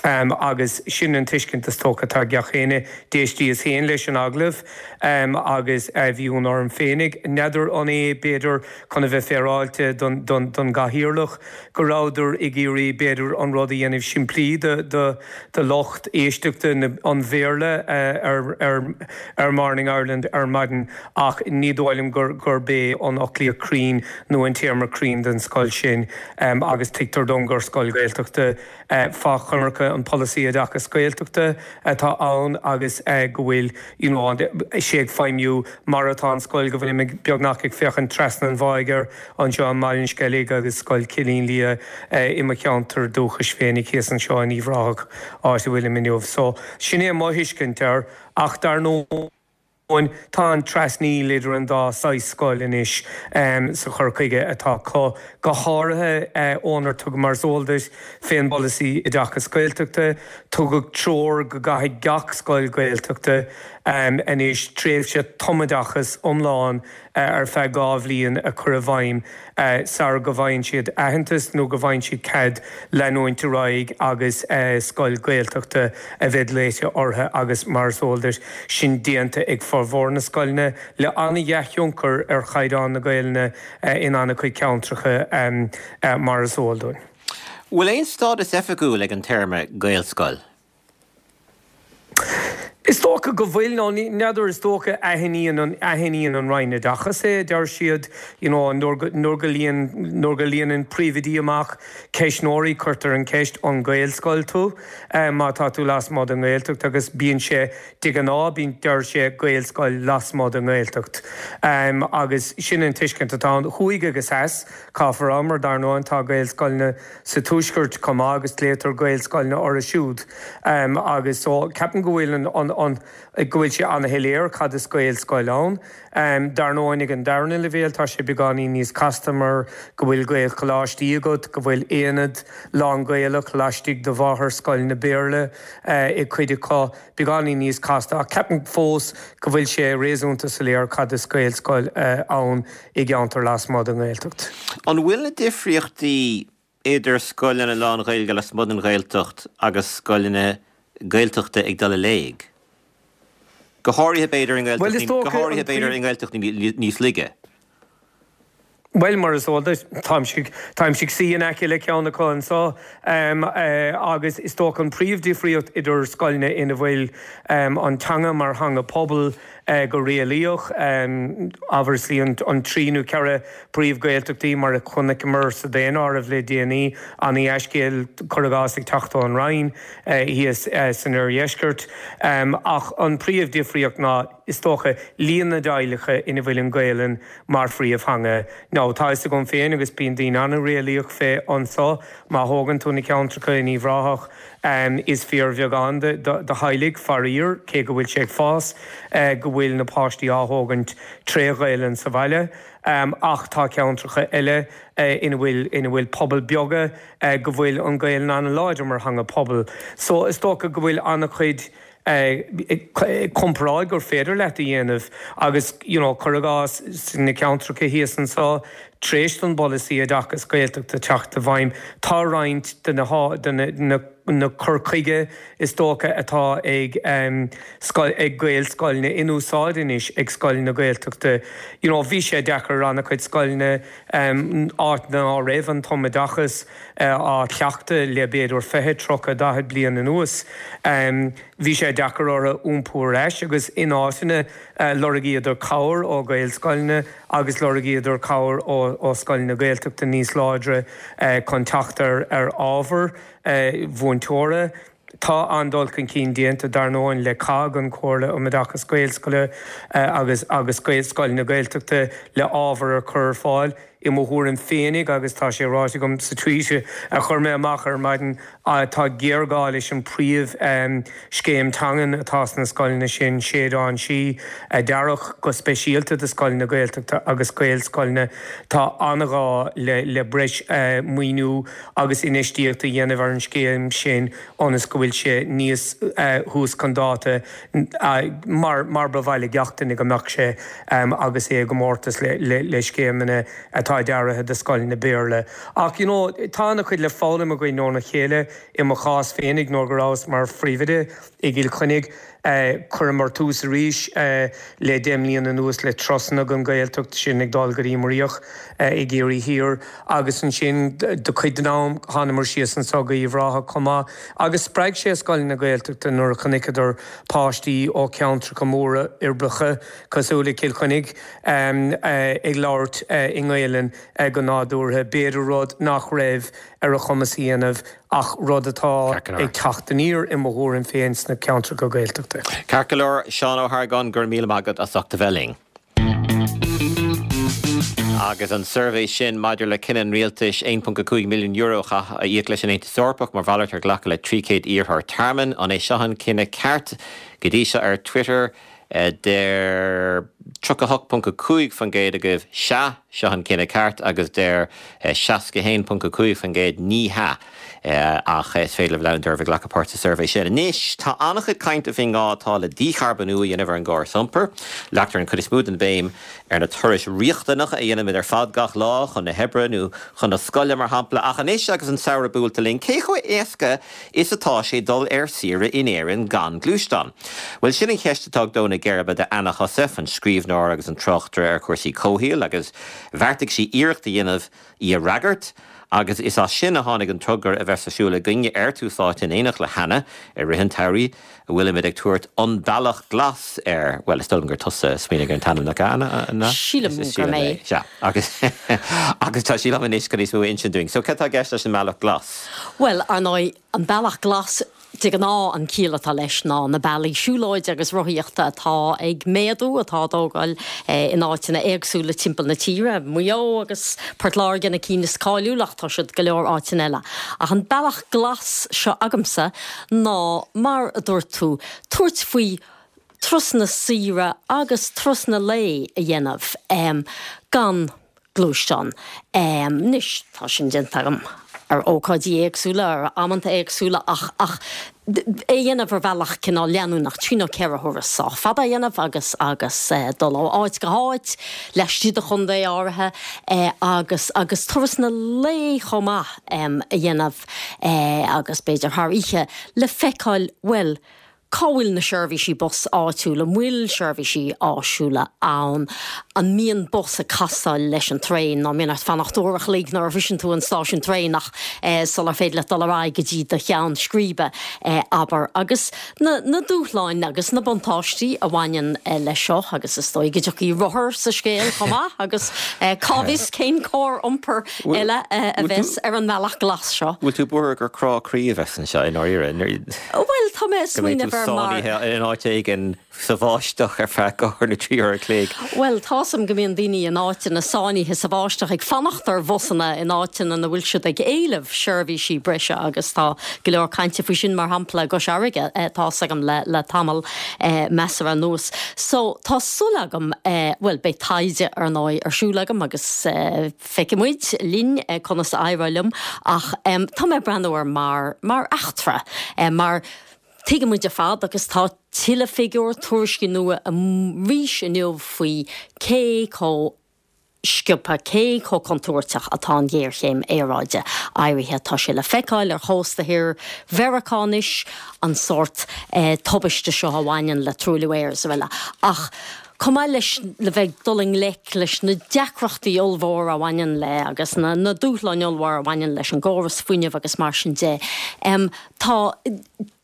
agus sin an tuiscint is dócha atá ag gach éinne. D'éistíos féin leis an agallamh agus bhí ionadh orm féinig, n'fheadar an é b'fhéidir chun a bheith féaráilte don, don, don gcathaoirleach go rabhadar ag iarraidh b'fhéidir an rud a dhéanamh simplí do, do, do lucht éisteachta an Bhéarla ar, ar Morning Ireland ar maidin ach ní dóigh liom gur, gurb é an fhoclaíocht cruinn nó an téarma cruinn den scoil sin agus tuigtear dom gur scoil Ghaeltachta fá choimirce an polasaí oideachais Gaeltachta atá ann agus go bhfuil you know sé ag feidhmiú mar atá an scoil go bhfuilim ag beagnach ag féachaint trasna an bháigh air anseo i mBaile an Sceilg agus Scoil Chillín Liath i mo cheantar dúchais féinig thíos anseo in Uíbh Ráthach áit a bhfuilim inniu. So sin é mo thuiscint air ach dar ndóigh tá an trasnaíl idir an dá saghas scoil anois sa chur chuige atá acu, go háirithe ónar tugadh mar is eol duit fén bpolasaí oideachais Gaeltachta, tugadh treoir go gcaithfidh gach scoil Ghaeltachta anois tréimhse tumoideachas iomlán ar feadh dhá bhliain a chur i bhfeidhm sar go bhfaigheann siad aitheantas nó go bhfaigheann siad cead leanúint ar aghaidh agus scoil Ghaeltachta a bheith glaoite orthu agus mar is eol duit, sin déanta ag formhór na scoileanna le an-dea-thionchar ar chaighdeán na Gaelainne in an-chuid ceantracha mar is eol dúinn. Bhfuil aon stádas oifigiúil ag an téarma Gaelscoil? Is dócha go bhfuil, nó n'fheadar, is dócha aithníonn an aithníonn an Roinn Oideachais é, deir siad, you know, nuair nuair go líon nuair go líonann príomhoidí amach ceistneoirí cuirtear an ceist an Gaelscoil tú má tá tú lasmuigh den nGaeltacht agus bíonn sé de ghnáth bíonn deir sé Gaelscoil lasmuigh den nGaeltacht. Agus sin an tuiscint atá ann thuaidh agus theas, caithfear a rá, mar dar ndóigh tá Gaelscoileanna sa Tuaisceart chomh maith agus glaotar Gaelscoileanna orthu siúd agus so ceapaim go bhfuil an an an go bhfuil sé an-shoiléir cad is Gaelscoil ann. Dar ndóigh ag an darna leibhéal tá sé beagáinín níos casta mar go bhfuil Gaelcholáistí agat, go bhfuil aonad lán-Ghaelach laistigh de mháthairscoileanna Béarla i cuid acu, beagáinín níos casta ach ceapaim fós go bhfuil sé réasúnta soiléir cad is Gaelscoil ann i gceantar lasmuigh den nGaeltacht. An bhfuil na difríochtaí idir scoileanna lán-Ghaeilge lasmuigh den Ghaeltacht agus scoileanna Gaeltachta ag dul i léig? Go háirithe b'fhéidir i nGaeltachtaí, go háirithe b'fhéidir i nGaeltachtaí níos laige. Bhuel, mar is eol duit, táimse ag suí in aice le ceann acu anseo agus is dócha an príomhdhifríocht idir scoileanna ina bhfuil an teanga mar theanga pobail go réalaíoch, obviously an trí nó ceithre príomh-Ghaeltachtaí mar a chonaiceamar sa daonáireamh le déanaí, an-dea-scéal, cuir i gcás, ag teacht ón Roinn thíos san oirdheisceart. Ach an príomhdhifríocht ná, is dócha, líon na dteaghlach ina bhfuil an Ghaelainn mar phríomhtheanga. Now, tá fhios agam féin, agus bíonn daoine an-réalaíoch fé anso, má thógann tú na ceantracha in Uíbh Ráthach, is fíorbheagán de theaghlaigh, faraor, cé go bhfuil sé ag fás, go bhfuil na páistí á thógaint tré Ghaelainn sa bhaile. Ach tá ceantracha eile ina bhfuil ina bhfuil pobail beaga go bhfuil an Ghaelainn an-láidir mar theanga pobail. So, is dócha go bhfuil an-chuid comparáid gur féidir leat a dhéanamh agus you know cuir i gcás sna ceantracha thíos anseo tar éis don bpolasaí oideachais Gaeltachta teacht i bhfeidhm tá roinnt de na de na na cur chuige is dócha atá ag scoil ag Gaelscoileanna in úsáid anois ag scoileanna Gaeltachta you know bhí sé deacair ar an-chuid scoileanna áit ná raibh an tumoideachas á chleachtadh le b'fhéidir fiche, tríocha, daichead bliain anuas. Bhí sé deacair orthu iompú ar ais agus in áiteanna lorgaíodar cabhair ó Ghaelscoileanna agus lorgaíodar cabhair ó scoileanna Gaeltachta níos láidre chun teacht ar ábhar mhúinteora. Tá an-dul chun cinn déanta, dar ndóigh, le COGG, an Chomhairle um Oideachas Gaelscoile agus agus Gaelscoileanna Gaeltachta le ábhar a chur ar fáil. I mo thuairim féinig, agus tá sé ráite agam sa tweet a chuir mé amach ar maidin, tá géarghá leis an príomh scéim teangan atá sna scoileanna sin, Séideán Sí, a dearadh go speisialta do scoileanna Gaeltachta agus Gaelscoileanna. Tá an-ghá le breis maoiniú agus infheistíocht a dhéanamh ar an scéim sin ionas go bhfuil sé níos thuas chun dáta mar mar ba mhaith le gach duine go mbeadh sé agus é i gcomórtas le scéimeanna atá deartha do scoileanna Béarla. Ach you know tá an-chuid le foghlaim againn óna chéile. I mo chás féinig nuair go rabhas mar phríomhoide i gCill Chainnigh, Chuireamar tús arís le deich mbliana anuas le turasanna don Ghaeltacht, sin ag dul go dtí Muiríoch i gCiarraí Thiar agus ansin do chuid den am thánamar síos anso go Uíbh Ráthach chomh maith agus spreag sé scoileanna Gaeltachta nuair a chonaiceadar páistí ó cheantracha móra uirbeacha cosúil le Cill Chainnigh ag labhairt i nGaelainn go nádúrtha, b'fhéidir rud nach raibh ar a chumas a dhéanamh ach rud atá ag teacht aniar i mo thuairim féin sna ceantracha Gaeltachta. Ceart go leor, Seán Ó hArgáin, go raibh míle maith agat as ucht a bheith linn. Agus an suirbhé sin maidir le cinneadh an rialtais aon ponc a cúig milliún euro a íoc leis an Aontas Eorpach mar mhalairt ar ghlacadh le trí chéad iarrthóir tearmainn, an é seo an cinneadh ceart? Go dtí seo ar Twitter, Deir tríocha hocht ponc a cúig faoin gcéad agaibh sea, seo an cinneadh ceart agus deir seasca haon ponc a cúig faoin gcéad ní hea. Ach is féidir libh leanúint oraibh ag glacadh páirt sa suirbhé sin. Anois, tá an-chuid cainte faoin ngá atá le dícharbónú a dhéanamh ar an gcóras iompair. Leagtar an chuid is mó den bhéim ar na turais riachtanacha a dhéanaimid ar fad gach lá, chun na hoibre nó chun na scoile mar shampla. Ach anois agus an samhradh buailte linn, cé chomh éasca is atá sé dul ar saoire in Éirinn gan gluaisteán? Bhuel, sin an cheist atá ag dó na geirbe d'Anna Heussaff, an scríbhneoir agus an tráchtaire ar chúrsaí comhshaoil, agus bheartaigh sí iarracht a dhéanamh í a fhreagairt. Agus is as sin a tháinig an togra a bheas ar siúl againne ar Tús Áite in éineacht le hAnna i rith an tsamhraidh, a bhfuilimid ag tabhairt An Bealach Glas air. Bhuel, is dóigh liom gur tusa a smaoinigh ar an t-ainm, nach ea, Anna? An ea? Sílim gur mé. Sea. Agus agus tá sí liom anois chun níos mó a insint dúinn. So, cad tá i gceist leis an mBealach Glas? Bhuel, ar ndóigh, an Bealach Glas, De ghnáth, an chiall atá leis ná na bealaí siúlóide agus rothaíochta atá ag méadú, atá á dtógáil in áiteanna éagsúla timpeall na tíre, Maigh Eo agus Port Láirge na cinn is cáiliúla ach tá siad go leor áiteanna eile. Ach an bealach glas seo agamsa ná, mar a dúirt tú, tabhairt faoi turasanna saoire agus turasanna lae a dhéanamh gan gluaisteán. Anois, tá sin déanta agam ar ócáidí éagsúla, ar amanta éagsúla ach ach é a dhéanamh ar bhealach cineál leanúnach, trí nó ceithre thuras sách fada a dhéanamh agus agus dul ó áit go háit laistigh de chontae áirithe agus agus turasanna lae chomh maith a dhéanamh agus b'fhéidir thar oíche le feiceáil, bhuel, Cá bhfuil na seirbhísí bus áitiúla? An bhfuil seirbhísí áisiúla ann? An mbíonn bus ag castáil leis an traein nó an mbíonn ort fanacht uair a chloig nuair a shroiseann tú an stáisiún traenach sular féidir leat dul ar aghaidh go dtí do cheann scríbe, abair? Agus na na dúshláin agus na buntáistí a bhaineann leis seo agus is dóigh go dtiocfaidh rothair sa scéal chomh maith agus cá bhfios cén cór iompair eile a bheas ar an mbealach glas seo. Bhfuil tú buartha gur crá croí a bheas anseo i ndáiríre? Bhuel, tá mé ag smaoineamh air mar. Sáinnithe in áit éigin sa bháisteach ar feadh dhá nó trí uair a chloig. Bhuel, tá's a'm go mbíonn daoine in áiteanna sáinnithe sa bháisteach ag fanacht ar bhusanna in áiteanna ina bhfuil siad ag éileamh seirbhísí breise agus tá go leor cainte faoi sin, mar shampla i gCois Fharraige, tá's agam, le le tamall measartha anuas. So, tá súil agam, bhuel, beidh taighde ar ndóigh ar siúl agam agus feicfidh muid linn conas a éireoidh liom ach tá mé ag breathnú air mar mar eachtra, mar tuigeann muid ar fad agus tá tuilleadh figiúr, tuairiscí nua arís inniu faoi cé chomh sciobtha, cé chomh contúirteach atá an ghéarchéim aeráide éirithe. Tá sé le feiceáil ar chósta thiar Mheiriceá anois, an sórt tubaiste seo a bhaineann le truailliú aeir is araile. Ach chomh maith leis le bheith ag dul i ngleic leis na deacrachtaí ollmhóra a bhaineann le agus na na dúshláin ollmhóra a bhaineann leis an gcóras fuinnimh agus mar sin de, tá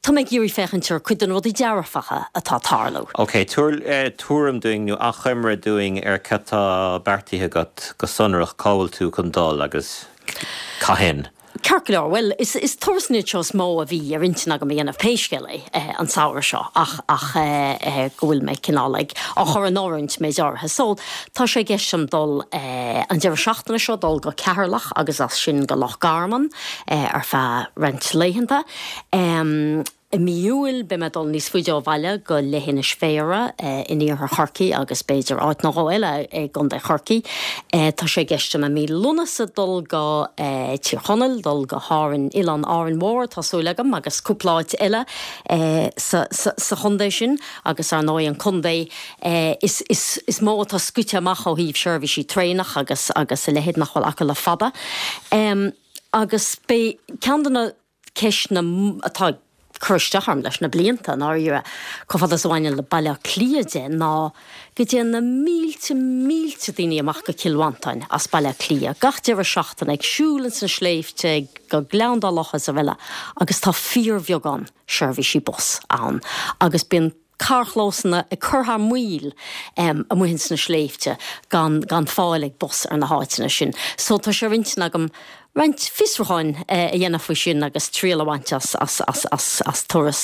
tá mé ag iarraidh féachaint ar cuid de na rudaí dearfacha atá ag tarlú. Ok, tabhair tuairim dúinn nó achoimre dúinn ar cad tá beartaithe agat go sonrach, cá bhfuil tú chun dul agus cathain? Ceart go leor, bhuel, is is turasanna iad seo is mó a bhí ar intinn agam a dhéanamh pé scéal é an samhradh seo ach ach go bhfuil mé cineál ag á chur in oiriúint méid áirithe. So, tá sé i gceist agam dul an deireadh seachtaine seo dul go Ceatharlach agus as sin go Loch Garman ar feadh roinnt laethanta. I mí Iúil, beidh mé ag dul níos faide ó bhaile go Leithinis Bhéarra in iarthar Chorcaí agus b'fhéidir áit nó dhó eile i gContae Chorcaí. Tá sé i gceist agam i mí Lúnasa dul go Tír Chonaill, dul go hÁrainn, Oileán Árainn Mhór, tá súil agam, agus cúpla áit eile sa sa chontae sin agus ar ndóigh an contae is is is mó atá scoite amach ó thaobh seirbhísí traenach agus agus a leithéid nach bhfuil acu le fada. Agus beidh ceann de na ceisteanna atá ag cur isteach orm leis na blianta, i ndáiríre, chomh fada is a bhaineann le Baile Átha Cliath de, ná go dtéann na mílte, mílte daoine amach go Cill Mhantáin as Baile Átha Cliath gach deireadh seachtaine ag siúl ins na sléibhte, go Gleann Dá Locha is araile agus tá fíorbheagán seirbhísí bus ann agus bíonn carrchlósanna ag cur thar maoil amuigh ins na sléibhte gan gan fáil ag bus ar na háiteanna sin. So tá sé ar intinn agam roinnt fiosrúcháin a dhéanamh faoi sin agus triail a bhaint as as as as as turas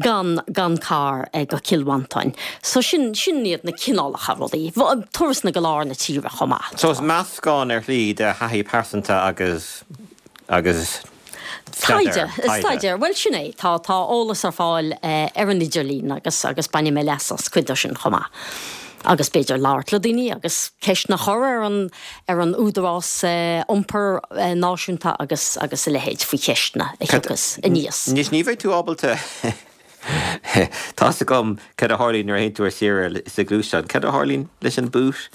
gan gan carr go Cill Mhantáin. So sin sin iad na cineálacha rudaí. Turasanna go lár na tíre chomh maith. So is meascán ar shlí de thaithí pearsanta agus agus. Taighde, staidéar, bhuel sin é, tá tá eolas ar fáil ar an idirlíon agus agus bainfidh mé leas as cuid de sin chomh maith. Agus b'fhéidir labhairt le daoine agus ceisteanna a chur ar an ar an údarás iompair náisiúnta agus agus a leithéid faoi cheisteanna a thiocfas aníos. Anois ní bheidh tú ábalta Tá's agam cad a tharlaíonn nuair a théann tú ar saoire sa ghluaisteán. Cad a tharlaíonn leis an boot?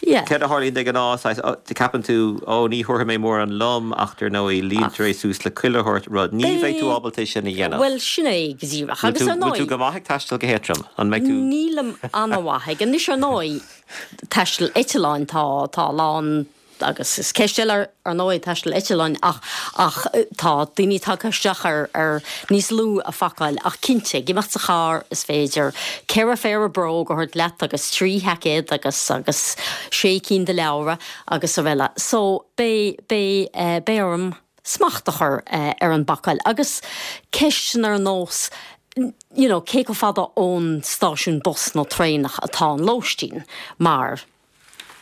Yeah. Cad a tharlaíonn de ghnáth, saghas, oh, ceapann tú, ó, ní thabharfaidh mé mórán liom ach dar ndóigh líontar é suas le chuile shórt rud. Ní bheidh tú ábalta é sin a dhéanamh. Bhuel, sin é go díreach. Bhfuil Agus tú, ar bhfuil tú ndóigh, go maith ag taisteal go héadrom? An mbeidh tú? Nílim an-mhaith ag. Anois ar ndóigh, taisteal eitleáin, tá, tá a lán agus is ceist eile ar ar ndóigh taisteal eitleáin ach ach tá daoine tagtha isteach ar ar níos lú a phacáil ach cinnte, ag imeacht sa charr is féidir ceithre phéire bróg a thabhairt leat agus trí sheaicéad agus agus sé cinn de leabhra agus araile. So beidh beidh beidh orm smacht a chur ar an bpacáil agus ceisteanna ar nós you know cé chomh fada ón stáisiún bus nó traenach atá an lóistín mar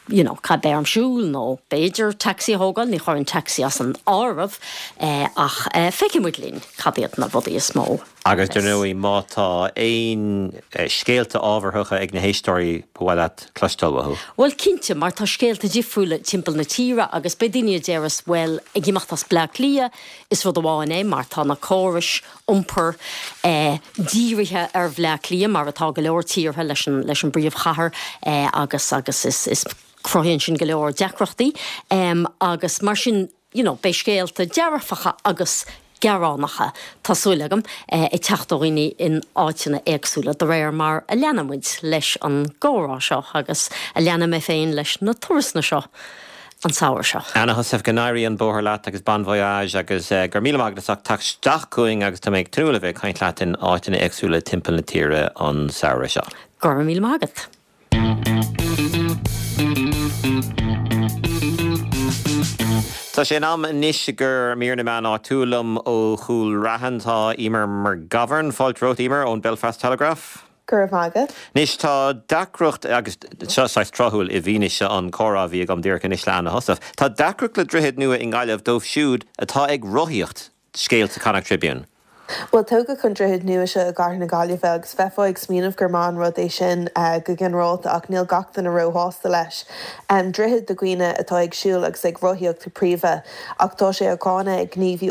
you know, caithfidh beidh orm siúl nó b'fhéidir taxi a thógáil, ní chuirfinn taxi as an áireamh eh, ach eh, feicfidh muid linn cad iad na rudaí is mó. Agus dar ndóigh má tá aon eh, scéalta ábharthacha ag na héisteoirí ba mhaith leat cloisteáil uathu. Bhuel cinnte, mar tá scéalta difriúla timpeall na tíre agus beidh daoine a déarfas bhuel ag imeacht as Bleá Cliath is rud amháin é mar tá na córais iompair eh, dírithe ar Bhleá Cliath mar atá go leor tíortha leis an, leis an bpríomhchathair eh, agus agus is, is cruthaíonn sin go leor deacrachtaí um, agus mar sin you know, beidh scéalta dearfacha agus gearánacha tá súil agam eh, ag teacht ó dhaoine in áiteanna éagsúla de réir mar a leanaimid leis an gcomhrá seo agus a leanfaidh mé féin leis na turasanna seo an samhradh seo. Anna Heussaff go n-éirí an bóthar leat agus bon voyage agus eh, gur míle maith agat as ucht teacht isteach chugainn agus tá mé ag tnúth le bheith ag caint leat in áiteanna éagsúla timpeall na tíre an samhradh seo. Go raibh míle maith agat. Tá sé in am anois gur mír na meán áitiúil liom ó Chúil Raithin tá Eimear McGovern fáilte romhat Eimear ón Belfast Telegraph. Go raibh maith agat. Anois tá deacracht agus seo saghas tráthúil i bhfianaise an comhrá a bhí agam díreach anois le Anna Heussaff. Tá deacracht le droichead nua i nGaillimh dóibh siúd atá ag rothaíocht scéal sa Connacht Tribune. Bhuel, tógadh an droichead nua seo i gcathair na Gaillimhe agus bheifeá ag smaoineamh gur maith an rud é sin go ginearálta ach níl gach duine róshásta leis. Droichead do dhaoine atá ag siúl agus ag rothaíocht go príomha ach tá sé á cháineadh ag gníomhaí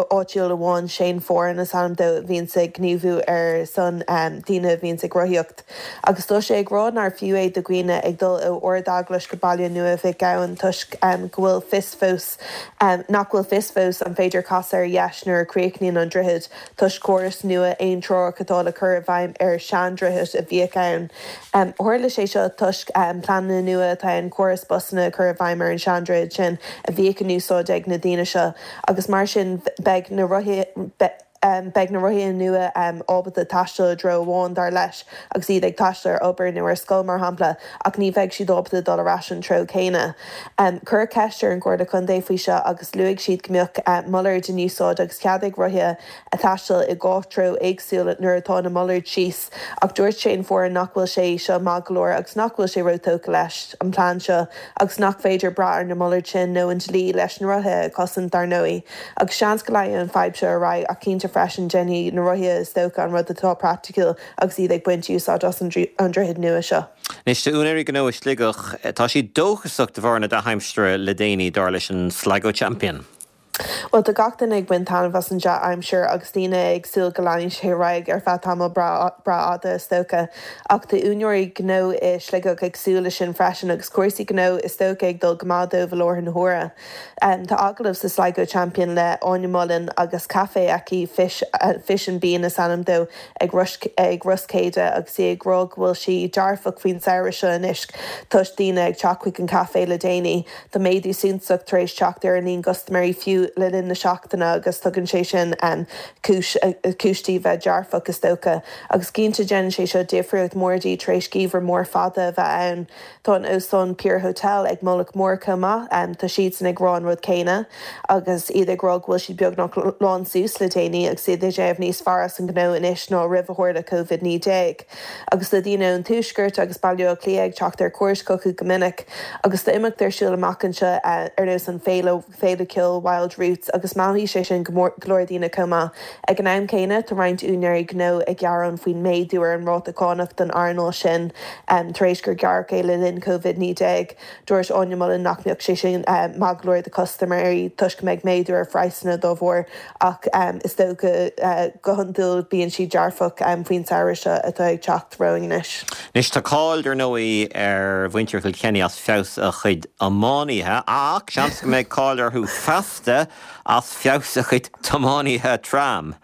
áitiúil amháin, Shane Foran is ainm dó, a bhíonns ag gníomhú ar son daoine a bhíonns ag rothaíocht. Agus tá sé ag rá nár fiú é do dhaoine ag dul ó Ard-Eaglais go Baile Nua Mhic Gabhann toisc go bhfuil fios fós nach bhfuil fios fós an féidir casadh ar dheis nuair a chríochnaíonn an droichead toisc córas nua aontreorach atá le cur i bhfeidhm ar seandroichead a bhíodh ann. Tharla sé seo toisc pleananna nua atá ann córas busanna a chur i bhfeidhm ar an seandroichead sin a bhíodh in úsáid ag na daoine seo agus mar sin beidh na rothaithe Beidh na rothaithe nua ábalta taisteal i dtreo amháin, dar leis, agus iad ag taisteal ar obair nó ar scoil, mar shampla, ach ní bheidh siad ábalta dul ar ais an treo céanna. Cuireadh ceist ar an gComhairle Contae faoi seo agus luaigh siad go mbeadh mullaird in úsáid agus cead ag rothaithe a taisteal i dhá threo éagsúla nuair atá na mullaird síos, ach dúirt Shane Foran nach bhfuil sé seo maith go leor agus nach bhfuil sé róthógtha leis an bplean seo agus nach féidir brath ar na mullaird sin nó an dlí leis na rothaithe a chosaint, dar ndóigh. Agus seans go leanfaidh an fadhb seo ar aghaidh ach cinnte freisin déanfaidh na rothaithe is dócha an rud atá praiticiúil agus iad ag baint úsáid as an droichead nua seo. Anois tá úinéirí gnó i Sligeach, tá siad dóchasach de bharr na dea-aimsire le déanaí, dar leis an Sligo Champion. Bhuel, tá gach duine ag baint taitneamh as an dea-aimsir agus daoine ag súil go leanfaidh sé ar aghaidh ar feadh tamall breá fada is dócha. Ach tá úinéirí gnó i Sligeach ag súil leis sin freisin agus cúrsaí gnó is dócha ag dul go maith dóibh i láthair na huaire. Tá agallamh sa Sligo Champion le Áine Mullen agus caifé aici, Fish Fish and Bean is ainm dó, ag ag Ros Céide agus í ag rá go bhfuil sí dearfach faoin samhradh seo anois toisc daoine ag teacht chuig an caifé le déanaí. Tá méadú suntasach tar éis teacht ar an líon custaiméirí fiú le linn na seachtaine agus tugann sé sin cúis cúis di bheith dearfach is dócha. Agus cinnte déanann sé seo difríocht mhór di tar éis geimhreadh mór fada a bheith ann. Tá an óstán Pier Hotel ag Mullach Mór chomh maith. Tá siadsan ag rá an rud céanna agus iad ag rá go bhfuil siad beagnach lán suas le déanaí agus iad ag déanamh níos fearr as an ngnó anois ná roimh a tharla Covid naoi déag. Agus tá daoine ón Tuaisceart agus Baile Átha Cliath ag teacht ar cuairt chucu go minic. Agus tá imeacht ar siúl amach anseo ar nós an féile féile ceoil Wild Wild Routes agus meallfaidh sé sin go leor daoine chomh maith. Ag an am céanna, tá roinnt úinéirí gnó ag gearán faoin méadú ar an ráta cánach don earnáil sin tar éis gur gearradh é le linn Covid naoi déag. Dúirt Áine Mullen nach mbeadh sé sin maith go leor do chustaiméirí toisc go mbeidh méadú ar phraghsanna dá bharr ach is dócha go hiondúil bíonn siad dearfach faoin samhradh seo atá ag teacht romhainn anois. Anois tá cáil, dar ndóigh, ar mhuintir Chill Chainnigh as feabhas a chuid iománaithe ach seans go mbeidh cáil orthu feasta as feabhas a chuid tiománaithe tram,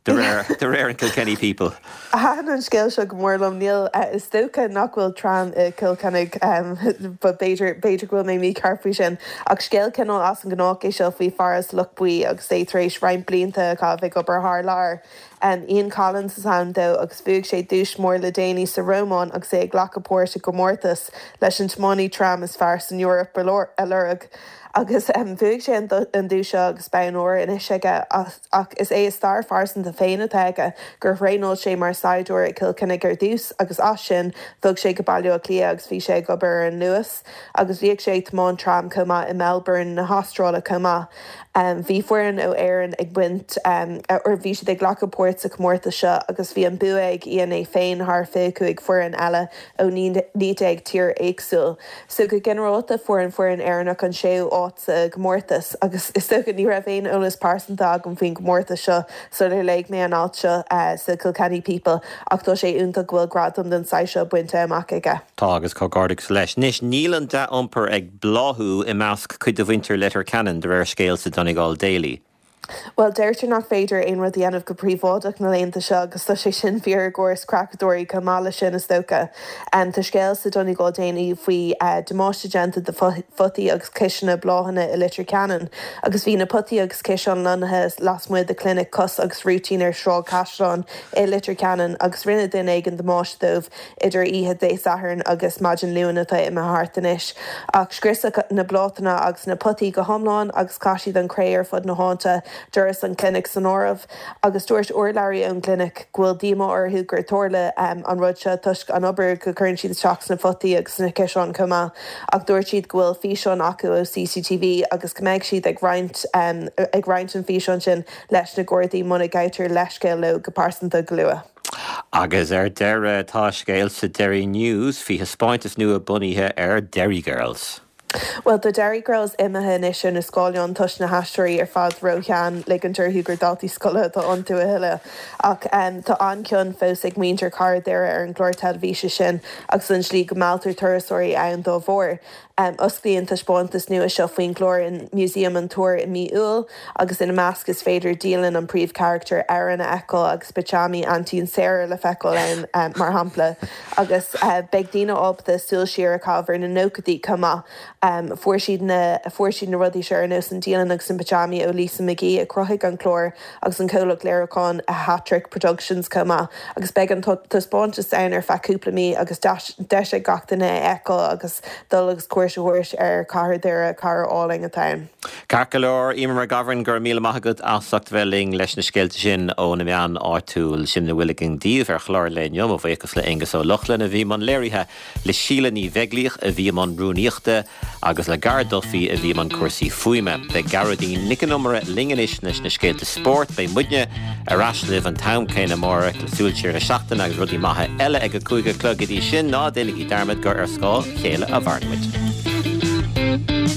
de réir de réir an Kilkenny People. Thaitin an scéal seo go mór liom. Níl, is dócha nach bhfuil tram i Cill Chainnigh but b'fhéidir b'fhéidir go bhfuil mé mícheart faoi sin. Ach scéal cineál as an ngnách é seo faoi fear as Loch Buí agus é tar éis roinnt blianta a chaitheamh ag obair thar lear. Ian Collins is ainm dó agus bhuaigh sé duais mór le déanaí sa Rómáin agus é ag glacadh páirt i gcomórtas leis an tiománaí tram is fearr san Eoraip a lorg. Agus bhuaigh sé an duais seo agus bonn óir anois aige ach is é a stair phearsanta féin atá aige gur thraenáil sé mar saighdiúir i gCill Chainnigh ar dtús agus as sin bhog sé go Baile Átha Cliath agus bhí sé ag obair ar an Luas agus bhíodh sé ag tiomáint tram chomh maith i Melbourne na hAstráile chomh maith. Bhí foireann ó Éirinn ag baint or bhí siad ag glacadh páirt sa chomórtas seo agus bhí an bua ag Ian é féin thar fiche cúig foireann eile ó naoi déag tír éagsúil. So go ginearálta fuair an foireann Éireannach an séú áit sa gcomórtas agus is dócha ní raibh aon eolas pearsanta agam faoin gcomórtas seo sular léigh mé an alt seo sa Kilkenny People ach tá sé iontach go bhfuil gradam den saghas seo bainte amach aige. Tá agus comhghairdeas leis. Anois níl an dea-iompar ag bláthú i measc cuid de mhuintir Leitir Ceanainn, de réir scéil sa Donegal Daily. Bhuel, deirtear nach féidir aon rud a dhéanamh go príobháideach na laethanta seo agus tá sé sin fíor i gcomhair creachadóirí chomh maith leis sin, is dócha. Tá scéal sa Donegal Daily faoi damáiste déanta do photaí agus ciseanna bláthanna i Leitir Ceanainn agus bhí na potaí agus ciseáin lonnaithe lasmuigh de chlinic cos agus rúitín ar Shráid Chaisleáin i Leitir Ceanainn agus rinne duine éigin damáiste dóibh idir oíche Dé Sathairn agus maidin Luain atá imithe thart anois. Ach scriosadh na bláthanna agus na potaí go hiomlán agus chaith siad an chré ar fud na háite, doras an chlinic san áireamh. Agus dúirt urlabhraí ón gclinic go bhfuil díomá orthu gur tharla an rud seo toisc an obair go gcuireann siad isteach sna potaí agus sna ciseáin chomh maith. Ach dúirt siad go bhfuil físeán acu ó C C T V agus go mbeidh siad ag roinnt ag roinnt an físeán sin leis na Gardaí muna gabhtar leithscéal leo go pearsanta go luath. Agus ar deireadh tá scéal sa Derry News faoi thaispeántas nua bunaithe ar Derry Girls. Bhuel, tá Derry Girls imithe anois ar na scáileáin toisc na haisteoirí ar fad róshean ligint orthu gur daltaí scoile atá iontu a thuilleadh. Ach tá an-chion fós ag muintir chathair Dhoire ar an gclár teilifíse sin agus an slí go mealltar turasóirí ann dá bharr. Osclaíonn taispeántas nua seo faoin gclár in Músaem an Túir i mí Iúil agus ina measc is féidir dialann an príomhcharachtar Erin a fheiceáil agus pitseámaí Aintín Sarah le feiceáil ann mar shampla. Agus beidh daoine ábalta súil siar a chaitheamh ar na nóchaidí chomh maith. Fuair siad na fuair siad na rudaí seo ar nós an dialann agus na pitseámaí ó Lisa McGee a chruthaigh an clár agus an comhlacht léiriúcháin Hat Trick Productions chomh maith. Agus beidh an taispeántas ann ar feadh cúpla mí agus deis ag gach duine é fheiceáil agus dul agus cuairt a thabhairt ar chathair Dhoire, cathair álainn atá ann. Ceart go leor, Eimear McGovern, go raibh míle maith agat as ucht bheith linn leis na scéalta sin ó na meáin áitiúil sin a bhfuil againn daoibh ar chlár lae inniu. Mo bhuíochas le Aengus Ó Lochlainn a bhí i mbun léirithe, le Síle Ní Bheaglaoich a bhí i mbun rúnaíochta agus le Gar Duffy a bhí i mbun cúrsaí fuaime. Beidh Gearóidín Nic an Iomaire linn anois leis na scéalta spóirt. Beidh muidne ar ais libh an t-am céanna amárach le súil siar na seachtaine agus rudaí maithe eile ag a cúig a chlog. Go dtí sin, ná déanaigí dearmad gur ar scáth a chéile a mhaireann muid.